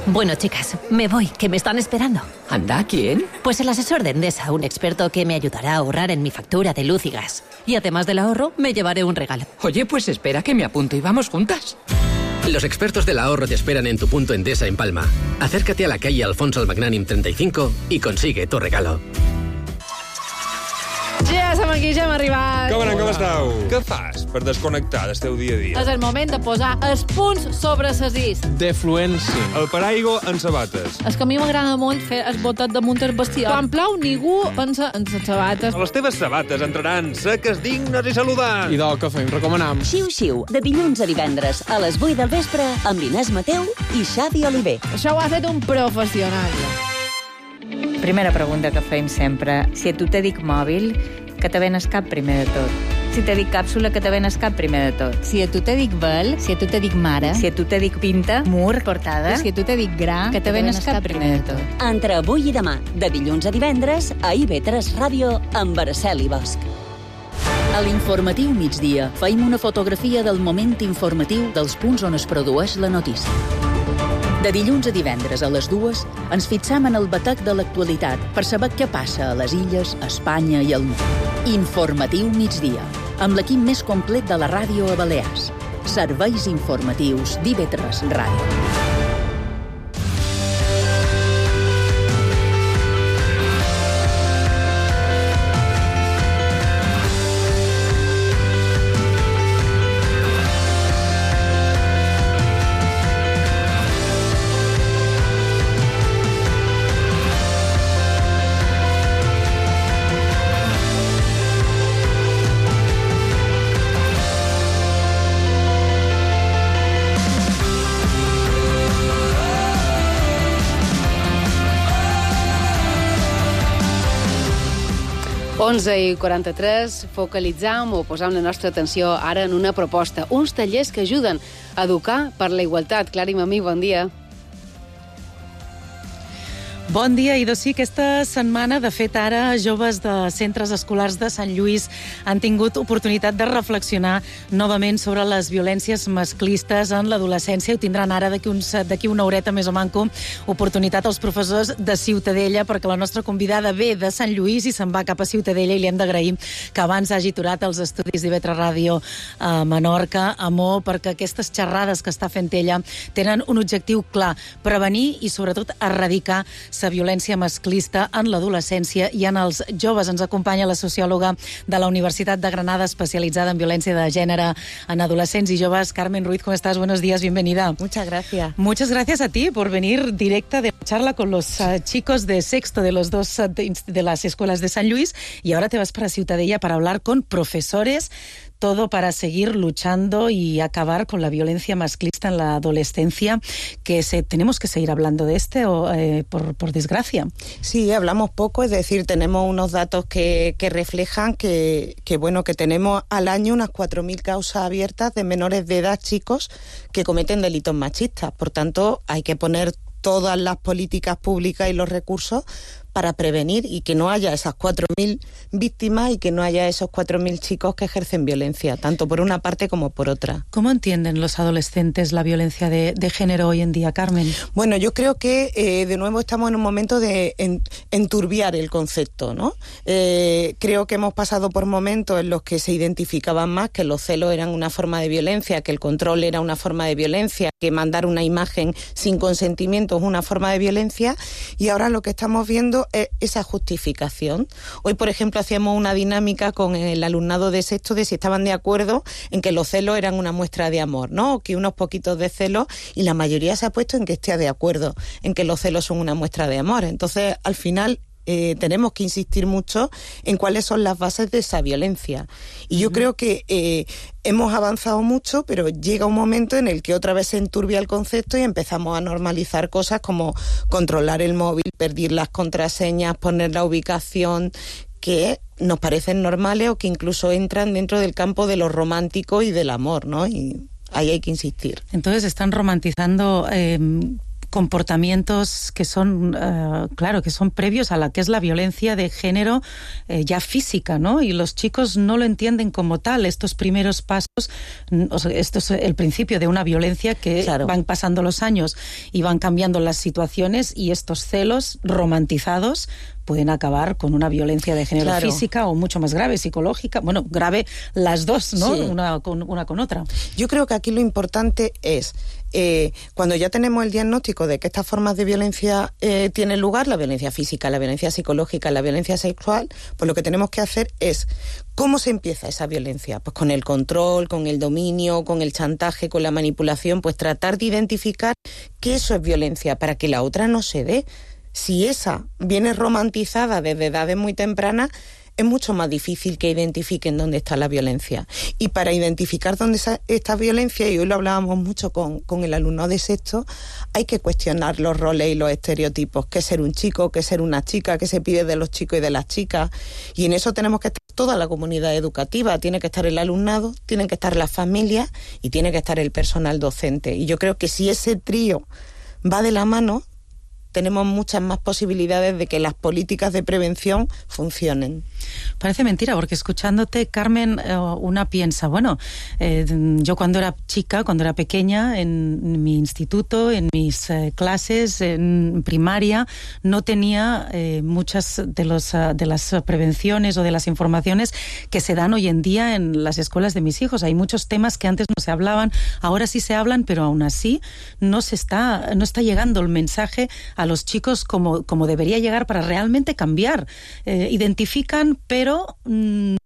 Bueno, chicas, me voy, que me están esperando. ¿Anda? ¿Quién? Pues el asesor de Endesa, un experto que me ayudará a ahorrar en mi factura de luz y gas. Y además del ahorro, me llevaré un regalo. Oye, pues espera que me apunto y vamos juntas. Los expertos del ahorro te esperan en tu punto Endesa en Palma. Acércate a la calle Alfonso el Magnànim treinta y cinco y consigue tu regalo. Ja som aquí, ja hem arribat. Com anem, com esteu? Què fas per desconnectar del teu dia a dia? És el moment de posar els punts sobre ses is. Defluència. El paraigua en sabates. És que a mi m'agrada molt fer el botet damunt el bestiar. Quan plou, ningú pensa en les sabates. Les teves sabates entraran seques, dignes i saludants. I del que fem, recomanam. Xiu-xiu, de dilluns a divendres a les vuit del vespre amb Inés Mateu i Xavi Oliver. Això ho ha fet un professional. Primera pregunta que fem sempre. Si a tu te dic mòbil, que te ven el cap primer de tot. Si te dic càpsula, que te ven el cap primer de tot. Si a tu te dic vel, si a tu te dic mare, si a tu te dic pinta, mur, portada, si a tu te dic gra, que te ven el cap primer de tot. Entre avui i demà, de dilluns a divendres, a I ve tres Ràdio, amb Araceli Bosch. A l'informatiu migdia feim una fotografia del moment informatiu dels punts on es produeix la notícia. De dilluns a divendres a les dues ens fixam en el batec de l'actualitat per saber què passa a les illes, a Espanya i al món. Informatiu migdia, amb l'equip més complet de la ràdio a Balears. Serveis informatius d'I ve tres Ràdio. onze i quaranta-tres, focalitzam o posam la nostra atenció ara en una proposta, uns tallers que ajuden a educar per la igualtat. Clara i Mamí, bon dia. Bon dia, i doncs sí, aquesta setmana, de fet, ara joves de centres escolars de Sant Lluís han tingut oportunitat de reflexionar novament sobre les violències masclistes en l'adolescència. Ho tindran ara d'aquí uns, d'aquí una horeta més o manco oportunitat als professors de Ciutadella, perquè la nostra convidada ve de Sant Lluís i se'n va cap a Ciutadella, i li hem d'agrair que abans hagi aturat els estudis d'I V tres Ràdio a Menorca, a Mo, perquè aquestes xerrades que està fent ella tenen un objectiu clar: prevenir i, sobretot, erradicar la violència masclista en l'adolescència i en els joves. Ens acompanya la sociòloga de la Universitat de Granada, especialitzada en violència de género en adolescents y joves. Carmen Ruiz, ¿cómo estás? Buenos días, bienvenida. Muchas gracias. Muchas gracias a ti por venir directa de charla con los uh, chicos de sexto de los dos uh, de, de las escuelas de San Luis, y ahora te vas para Ciutadella para hablar con profesores, todo para seguir luchando y acabar con la violencia masclista en la adolescencia, que se, tenemos que seguir hablando de este, o, eh, por, por desgracia. Sí, hablamos poco, es decir, tenemos unos datos que, que reflejan que, que, bueno, que tenemos al año unas cuatro mil causas abiertas de menores de edad, chicos, que cometen delitos machistas. Por tanto, hay que poner todas las políticas públicas y los recursos para prevenir y que no haya esas cuatro mil víctimas y que no haya esos cuatro mil chicos que ejercen violencia, tanto por una parte como por otra. ¿Cómo entienden los adolescentes la violencia de, de género hoy en día, Carmen? Bueno, yo creo que eh, de nuevo estamos en un momento de en, enturbiar el concepto, ¿no? Eh, creo que hemos pasado por momentos en los que se identificaban más que los celos eran una forma de violencia, que el control era una forma de violencia, que mandar una imagen sin consentimiento es una forma de violencia, y ahora lo que estamos viendo esa justificación. Hoy, por ejemplo, hacíamos una dinámica con el alumnado de sexto de si estaban de acuerdo en que los celos eran una muestra de amor, ¿no? O que unos poquitos de celos, y la mayoría se ha puesto en que esté de acuerdo en que los celos son una muestra de amor. Entonces, al final, Eh, tenemos que insistir mucho en cuáles son las bases de esa violencia. Y yo uh-huh. creo que eh, hemos avanzado mucho, pero llega un momento en el que otra vez se enturbia el concepto y empezamos a normalizar cosas como controlar el móvil, perder las contraseñas, poner la ubicación, que nos parecen normales o que incluso entran dentro del campo de lo romántico y del amor, ¿no? Y ahí hay que insistir. Entonces están romantizando Eh... comportamientos que son, uh, claro, que son previos a la que es la violencia de género eh, ya física, ¿no? Y los chicos no lo entienden como tal. Estos primeros pasos, o sea, esto es el principio de una violencia que claro. van pasando los años y van cambiando las situaciones, y estos celos romantizados pueden acabar con una violencia de género claro. física o mucho más grave, psicológica. Bueno, grave las dos, ¿no? Sí. Una, con, una con otra. Yo creo que aquí lo importante es, eh, cuando ya tenemos el diagnóstico de que estas formas de violencia eh, tienen lugar, la violencia física, la violencia psicológica, la violencia sexual, pues lo que tenemos que hacer es, ¿cómo se empieza esa violencia? Pues con el control, con el dominio, con el chantaje, con la manipulación, pues tratar de identificar que eso es violencia para que la otra no se dé. Si esa viene romantizada desde edades muy tempranas, es mucho más difícil que identifiquen dónde está la violencia. Y para identificar dónde está violencia, y hoy lo hablábamos mucho con, con el alumno de sexto, hay que cuestionar los roles y los estereotipos. ¿Qué es ser un chico? ¿Qué es ser una chica? ¿Qué se pide de los chicos y de las chicas? Y en eso tenemos que estar toda la comunidad educativa. Tiene que estar el alumnado, tienen que estar las familias y tiene que estar el personal docente. Y yo creo que si ese trío va de la mano, tenemos muchas más posibilidades de que las políticas de prevención funcionen. Parece mentira, porque escuchándote, Carmen, eh, una piensa, bueno, eh, yo cuando era chica, cuando era pequeña, en mi instituto, en mis eh, clases, en primaria, no tenía eh, muchas de, los, uh, de las prevenciones o de las informaciones que se dan hoy en día en las escuelas de mis hijos. Hay muchos temas que antes no se hablaban, ahora sí se hablan, pero aún así no se está, no está llegando el mensaje a los chicos como, como debería llegar para realmente cambiar. Eh, identifican, pero mmm,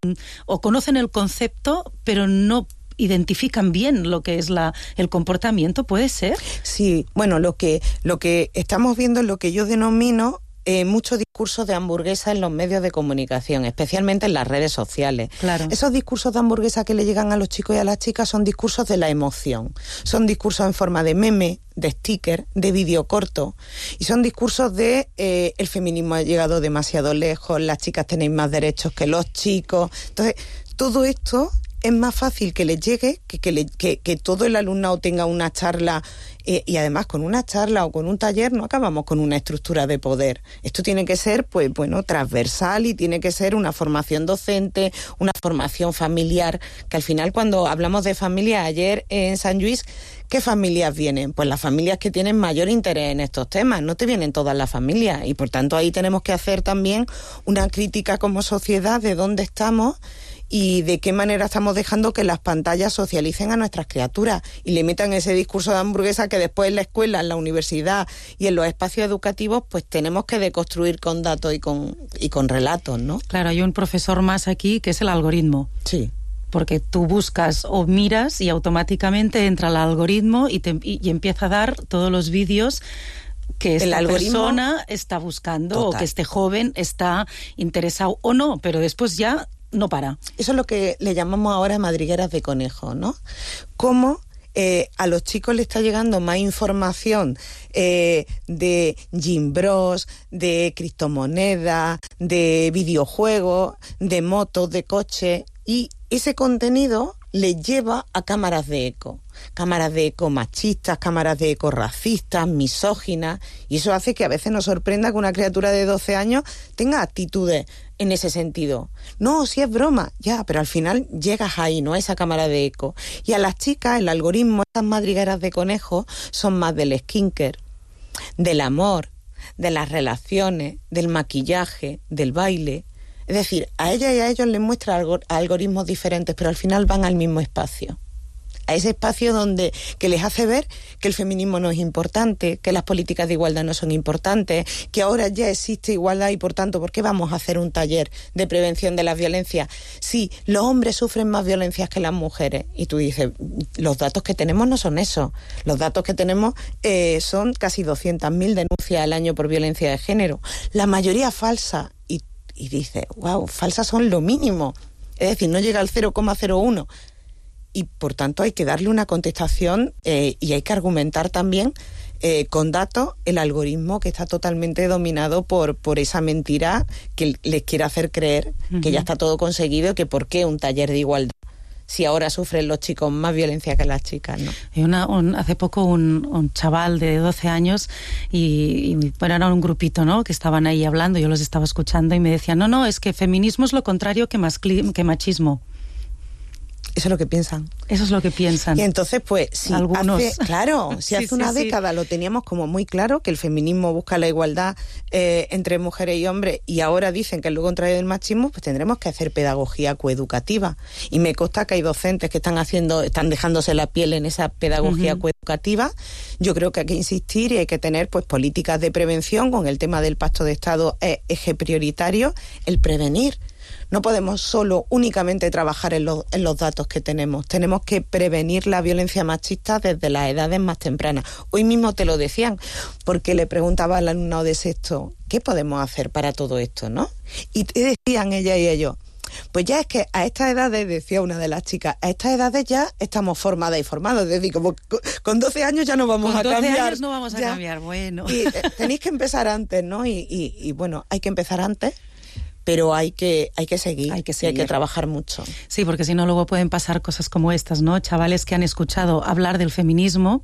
o conocen el concepto, pero no identifican bien lo que es la, el comportamiento, ¿puede ser? Sí, bueno, lo que, lo que estamos viendo es lo que yo denomino eh, mucho discurso de hamburguesa en los medios de comunicación, especialmente en las redes sociales. Claro. Esos discursos de hamburguesa que le llegan a los chicos y a las chicas son discursos de la emoción. Son discursos en forma de meme, de sticker, de vídeo corto. Y son discursos de eh, el feminismo ha llegado demasiado lejos, las chicas tenéis más derechos que los chicos. Entonces, todo esto es más fácil que les llegue, que, que, le, que, que todo el alumnado tenga una charla, eh, y además con una charla o con un taller no acabamos con una estructura de poder. Esto tiene que ser, pues bueno, transversal y tiene que ser una formación docente, una formación familiar, que al final cuando hablamos de familia, ayer en San Lluís, ¿qué familias vienen? Pues las familias que tienen mayor interés en estos temas, no te vienen todas las familias, y por tanto ahí tenemos que hacer también una crítica como sociedad de dónde estamos y de qué manera estamos dejando que las pantallas socialicen a nuestras criaturas y le metan ese discurso de hamburguesa que después en la escuela, en la universidad y en los espacios educativos pues tenemos que deconstruir con datos y con, y con relatos, ¿no? Claro, hay un profesor más aquí que es el algoritmo. Sí. Porque tú buscas o miras y automáticamente entra el algoritmo y, te, y, y empieza a dar todos los vídeos que esta persona está buscando. Total. O que este joven está interesado o no, pero después ya no para. Eso es lo que le llamamos ahora madrigueras de conejo, ¿no? Cómo eh, a los chicos le está llegando más información eh, de Gym Bros, de criptomonedas, de videojuegos, de motos, de coches, y ese contenido le lleva a cámaras de eco. Cámaras de eco machistas, cámaras de eco racistas, misóginas, y eso hace que a veces nos sorprenda que una criatura de doce años tenga actitudes en ese sentido. No, si es broma, ya, pero al final llegas ahí, ¿no? A esa cámara de eco. Y a las chicas, el algoritmo, estas madrigueras de conejo, son más del skincare, del amor, de las relaciones, del maquillaje, del baile. Es decir, a ella y a ellos les muestra algor- algoritmos diferentes, pero al final van al mismo espacio. A ese espacio donde que les hace ver que el feminismo no es importante, que las políticas de igualdad no son importantes, que ahora ya existe igualdad y por tanto, ¿por qué vamos a hacer un taller de prevención de las violencias? Sí, los hombres sufren más violencias que las mujeres. Y tú dices, los datos que tenemos no son esos. Los datos que tenemos eh, son casi doscientas mil denuncias al año por violencia de género. La mayoría falsa. Y, y dices, wow, falsas son lo mínimo. Es decir, no llega al cero coma cero uno. Y por tanto hay que darle una contestación eh, y hay que argumentar también eh, con datos el algoritmo que está totalmente dominado por, por esa mentira que les quiere hacer creer uh-huh. que ya está todo conseguido y que por qué un taller de igualdad si ahora sufren los chicos más violencia que las chicas, ¿no? Y una, un, hace poco un, un chaval de doce años y, y bueno, era un grupito, ¿no? Que estaban ahí hablando, yo los estaba escuchando y me decían, no, no, es que feminismo es lo contrario que, mascli- que machismo. Eso es lo que piensan. Eso es lo que piensan. Y entonces, pues, si Algunos. hace, claro, si sí, hace sí, una sí. década lo teníamos como muy claro, que el feminismo busca la igualdad eh, entre mujeres y hombres, y ahora dicen que es lo contrario del machismo, pues tendremos que hacer pedagogía coeducativa. Y me consta que hay docentes que están haciendo, están dejándose la piel en esa pedagogía uh-huh. coeducativa. Yo creo que hay que insistir y hay que tener, pues, políticas de prevención. Con el tema del Pacto de Estado es eje prioritario, el prevenir. No podemos solo únicamente trabajar en, lo, en los datos que tenemos. Tenemos que prevenir la violencia machista desde las edades más tempranas. Hoy mismo te lo decían, porque le preguntaba al alumnado de sexto, ¿qué podemos hacer para todo esto, no? Y te decían ella y ellos, pues ya es que a estas edades, decía una de las chicas, a estas edades ya estamos formadas y formados. Es decir, como con doce años ya no vamos con a cambiar. Con doce años no vamos a ya. cambiar, bueno. Y eh, tenéis que empezar antes, ¿no? Y, y, y bueno, hay que empezar antes. Pero hay que, hay que seguir, hay que seguir. Y hay que trabajar mucho. Sí, porque si no luego pueden pasar cosas como estas, ¿no? Chavales que han escuchado hablar del feminismo,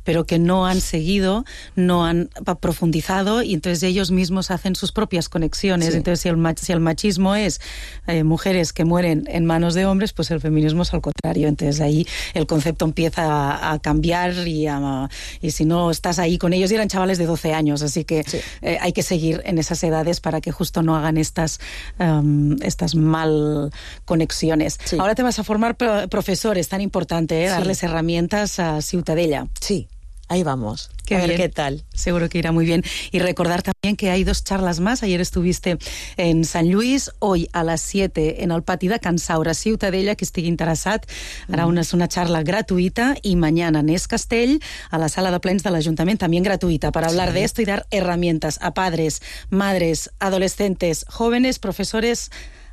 pero que no han seguido, no han profundizado, y entonces ellos mismos hacen sus propias conexiones. Sí. Entonces si el, mach- si el machismo es eh, mujeres que mueren en manos de hombres, pues el feminismo es al contrario. Entonces ahí el concepto empieza a, a cambiar y, a, y si no estás ahí con ellos, y eran chavales de doce años, así que sí. eh, hay que seguir en esas edades para que justo no hagan estas Um, estas mal conexiones. Sí. Ahora te vas a formar pro- profesor, es tan importante, ¿eh? Darles sí. herramientas a Ciutadella. Sí. ahí vamos. Qué a ver bien. qué tal. Seguro que irá muy bien. Y recordar también que hay dos charlas más. Ayer estuviste en San Luis, hoy a las siete en el pati de Can Saura, Ciutadella, que estigui interessat. Hará una, una charla gratuita y mañana en Es Castell, a la sala de plens del Ayuntamiento, también gratuita, para hablar sí. de esto y dar herramientas a padres, madres, adolescentes, jóvenes, profesores,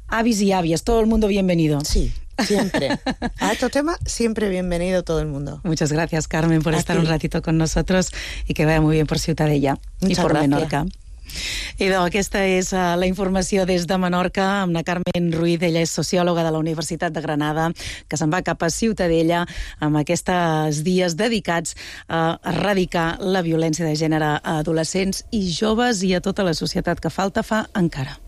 avis y avias. Todo el mundo bienvenido. Sí. Siempre. A estos temas, siempre bienvenido todo el mundo. Muchas gracias, Carmen, por a estar ti. un ratito con nosotros y que vaya muy bien por Ciutadella Muchas i per gràcies. Menorca. Idò, aquesta és uh, la informació des de Menorca amb la Carmen Ruiz. Ella és sociòloga de la Universitat de Granada, que se'n va cap a Ciutadella amb aquests dies dedicats a erradicar la violència de gènere a adolescents i joves i a tota la societat, que falta fa encara.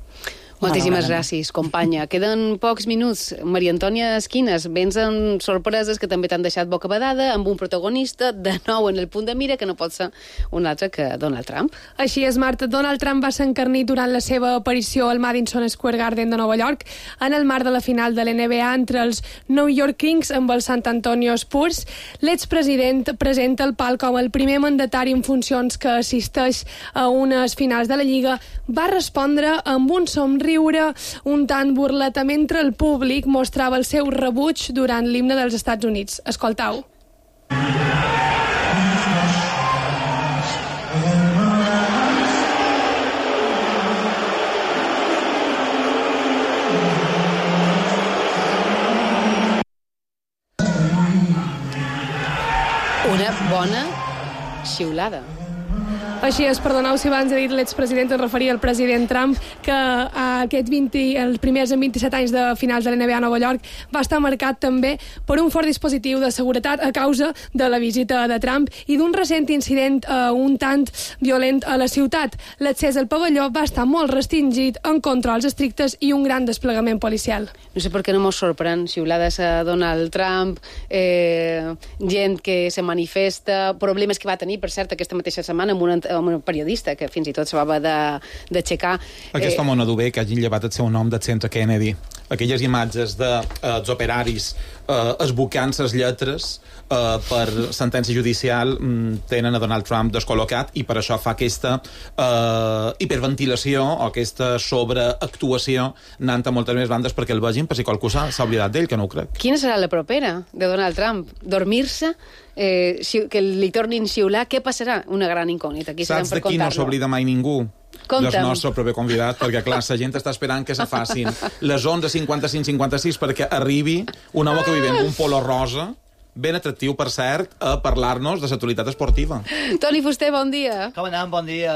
Moltíssimes gràcies, companya. Queden pocs minuts. Maria Antònia Esquines, vens amb sorpreses que també t'han deixat bocabadada, amb un protagonista de nou en el punt de mira, que no pot ser un altre que Donald Trump. Així és, Marta. Donald Trump va ser encarnit durant la seva aparició al Madison Square Garden de Nova York en el marc de la final de l'N B A entre els New York Kings amb els San Antonio Spurs. L'expresident presenta el pal com el primer mandatari en funcions que assisteix a unes finals de la Lliga. Va respondre amb un somriure riure un tant burleta mentre el públic mostrava el seu rebuig durant l'himne dels Estats Units. Escoltau. Una bona xiulada. Així és, perdoneu si abans he dit l'expresident, es referia al president Trump, que a aquests vint, els primers en vint-i-set anys de finals de l'N B A a Nova York va estar marcat també per un fort dispositiu de seguretat a causa de la visita de Trump i d'un recent incident uh, un tant violent a la ciutat. L'accés al pavelló va estar molt restringit, amb controls estrictes i un gran desplegament policial. No sé per què no mos sorprèn xiulades a Donald Trump, eh, gent que se manifesta, problemes que va tenir, per cert, aquesta mateixa setmana amb una amb un periodista que fins i tot se va d'aixecar. Aquest eh... home no du bé que hagin llevat el seu nom del centre Kennedy. Aquelles imatges dels de, eh, operaris eh, esbocant les lletres eh, per sentència judicial mm, tenen a Donald Trump descol·locat i per això fa aquesta eh, hiperventilació o aquesta sobreactuació anant a moltes més bandes perquè el vegin, per si qualcú s'ha oblidat d'ell, que no ho crec. Quina serà la propera de Donald Trump? Dormir-se? Eh, que li tornin xiular? Què passarà? Una gran incògnita. Aquí saps de qui no s'oblida mai ningú? Conta'm. El nostre proper convidat, perquè clar, la gent està esperant que se facin les onze cinquanta-cinc cinquanta-sis perquè arribi un home que vive amb un polo rosa, ben atractiu, per cert, a parlar-nos de l'actualitat esportiva. Toni Fuster, bon dia. Com anem? Bon dia.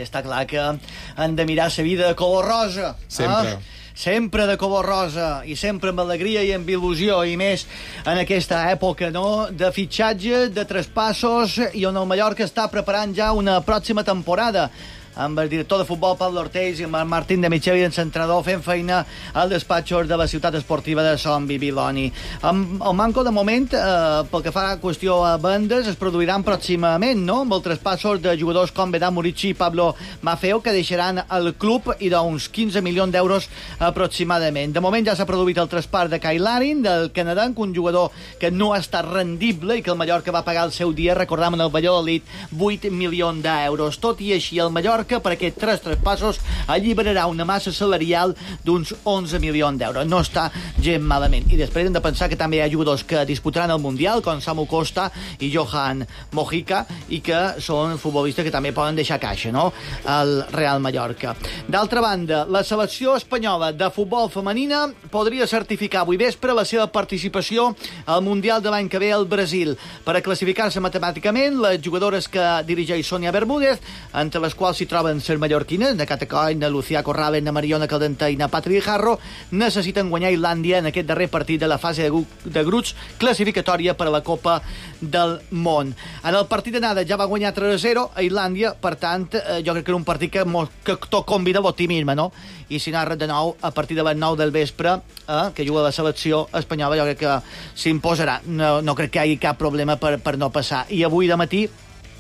Està clar que han de mirar la vida de color rosa. Sempre. Eh? Sempre de color rosa i sempre amb alegria i amb il·lusió, i més en aquesta època, no?, de fitxatge, de traspassos, i on el Mallorca està preparant ja una pròxima temporada amb el director de futbol Pablo Ortells i amb el Martín de Micheli, l'entrenador, fent feina al despatxos de la ciutat esportiva de Son Bibiloni. Amb el manco de moment, eh, pel que fa a qüestió a vendes, es produiran pròximament, no?, amb els traspassos de jugadors com Vedat Murici i Pablo Maffeo, que deixaran el club, i d'uns quinze milions d'euros aproximadament. De moment ja s'ha produït el traspàs de Kyle Larin, del canadenc, un jugador que no ha estat rendible i que el Mallorca va pagar el seu dia, recordam, en el Valladolid, vuit milions d'euros. Tot i així, el Mallorca que per aquests tres traspassos alliberarà una massa salarial d'uns onze milions d'euros. No està gent malament. I després hem de pensar que també hi ha jugadors que disputaran el Mundial, com Samu Costa i Johan Mojica, i que són futbolistes que també poden deixar caixa, no?, al Real Mallorca. D'altra banda, la selecció espanyola de futbol femenina podria certificar avui vespre la seva participació al Mundial de l'any que ve al Brasil. Per a classificar-se matemàticament, les jugadores que dirigeix Sònia Bermúdez, entre les quals s'hi troben les mallorquines, na Cata Coll, na Lucía Corrales, na Mariona Caldentà i na Patri Jarro, necessiten guanyar Islàndia en aquest darrer partit de la fase de, de grups classificatòria per a la Copa del Món. En el partit d'anada ja va guanyar tres a zero a Islàndia, per tant, eh, jo crec que era un partit que, que tot convida a l'optimisme, no? I si narra de nou a partir de les nou del vespre, eh, que juga la selecció espanyola, jo crec que s'imposarà. No, no crec que hi hagi cap problema per, per no passar. I avui de matí,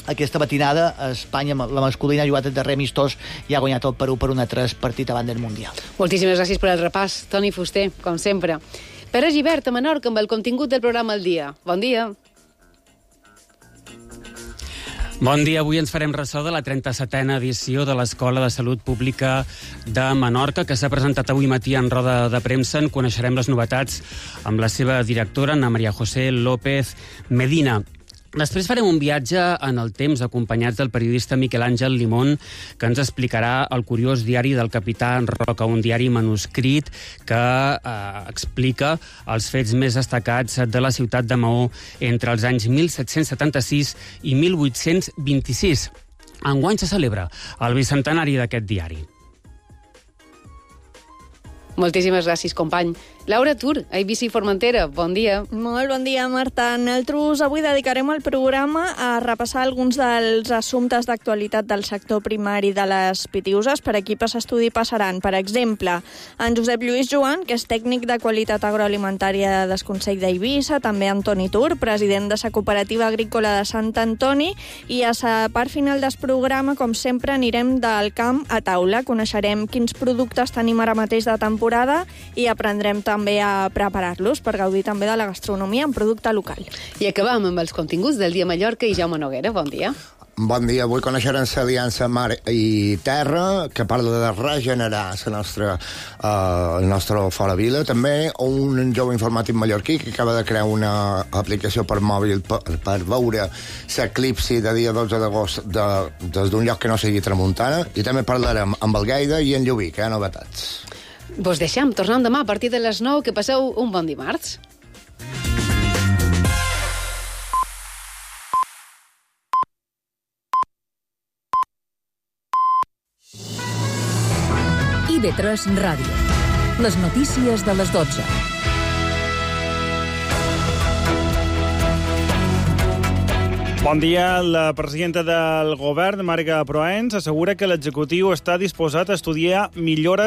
aquesta matinada, Espanya, la masculina, ha jugat el darrer amistós i ha guanyat el Perú per un a tres partit abans del Mundial. Moltíssimes gràcies per el repàs, Toni Fuster, com sempre. Pere Gibert, a Menorca, amb el contingut del programa al dia. Bon dia. Bon dia, avui ens farem ressò de la trenta-setena edició de l'Escola de Salut Pública de Menorca, que s'ha presentat avui matí en roda de premsa. En coneixerem les novetats amb la seva directora, Ana María José López Medina. Després farem un viatge en el temps acompanyats del periodista Miquel Àngel Limón, que ens explicarà el curiós diari del capità Roca, un diari manuscrit que eh, explica els fets més destacats de la ciutat de Maó entre els anys mil set-cents setanta-sis i mil vuit-cents vint-i-sis. Enguany se celebra el bicentenari d'aquest diari. Moltíssimes gràcies, company. Laura Tur, a Eivissa i Formentera, bon dia. Molt bon dia, Marta. Nosaltres avui dedicarem el programa a repassar alguns dels assumptes d'actualitat del sector primari de les Pitiüses. Per equipes estudi passaran, per exemple, en Josep Lluís Joan, que és tècnic de qualitat agroalimentària del Consell d'Eivissa, també Antoni Tur, president de la Cooperativa Agrícola de Sant Antoni, i a la part final del programa, com sempre, anirem del camp a taula. Coneixerem quins productes tenim ara mateix de temporada i aprendrem també també a preparar-los per gaudir també de la gastronomia en producte local. I acabam amb els continguts del Dia Mallorca i Jaume Noguera. Bon dia. Bon dia. Avui coneixerem l'Aliança Mar i Terra, que parla de regenerar la nostra, uh, el nostre fora vila. També un jove informàtic mallorquí que acaba de crear una aplicació per mòbil per, per veure l'eclipsi de dia dotze d'agost de, des d'un lloc que no sigui Tramuntana. I també parlarem amb el Gaida i en Llubí, que hi ha novetats. Vos deixem, tornem demà a partir de les nou, que passeu un bon dimarts. I ve tres Ràdio. Les notícies de les dotze. Bon dia. La presidenta del govern, Marga Proens, assegura que l'executiu està disposat a estudiar millores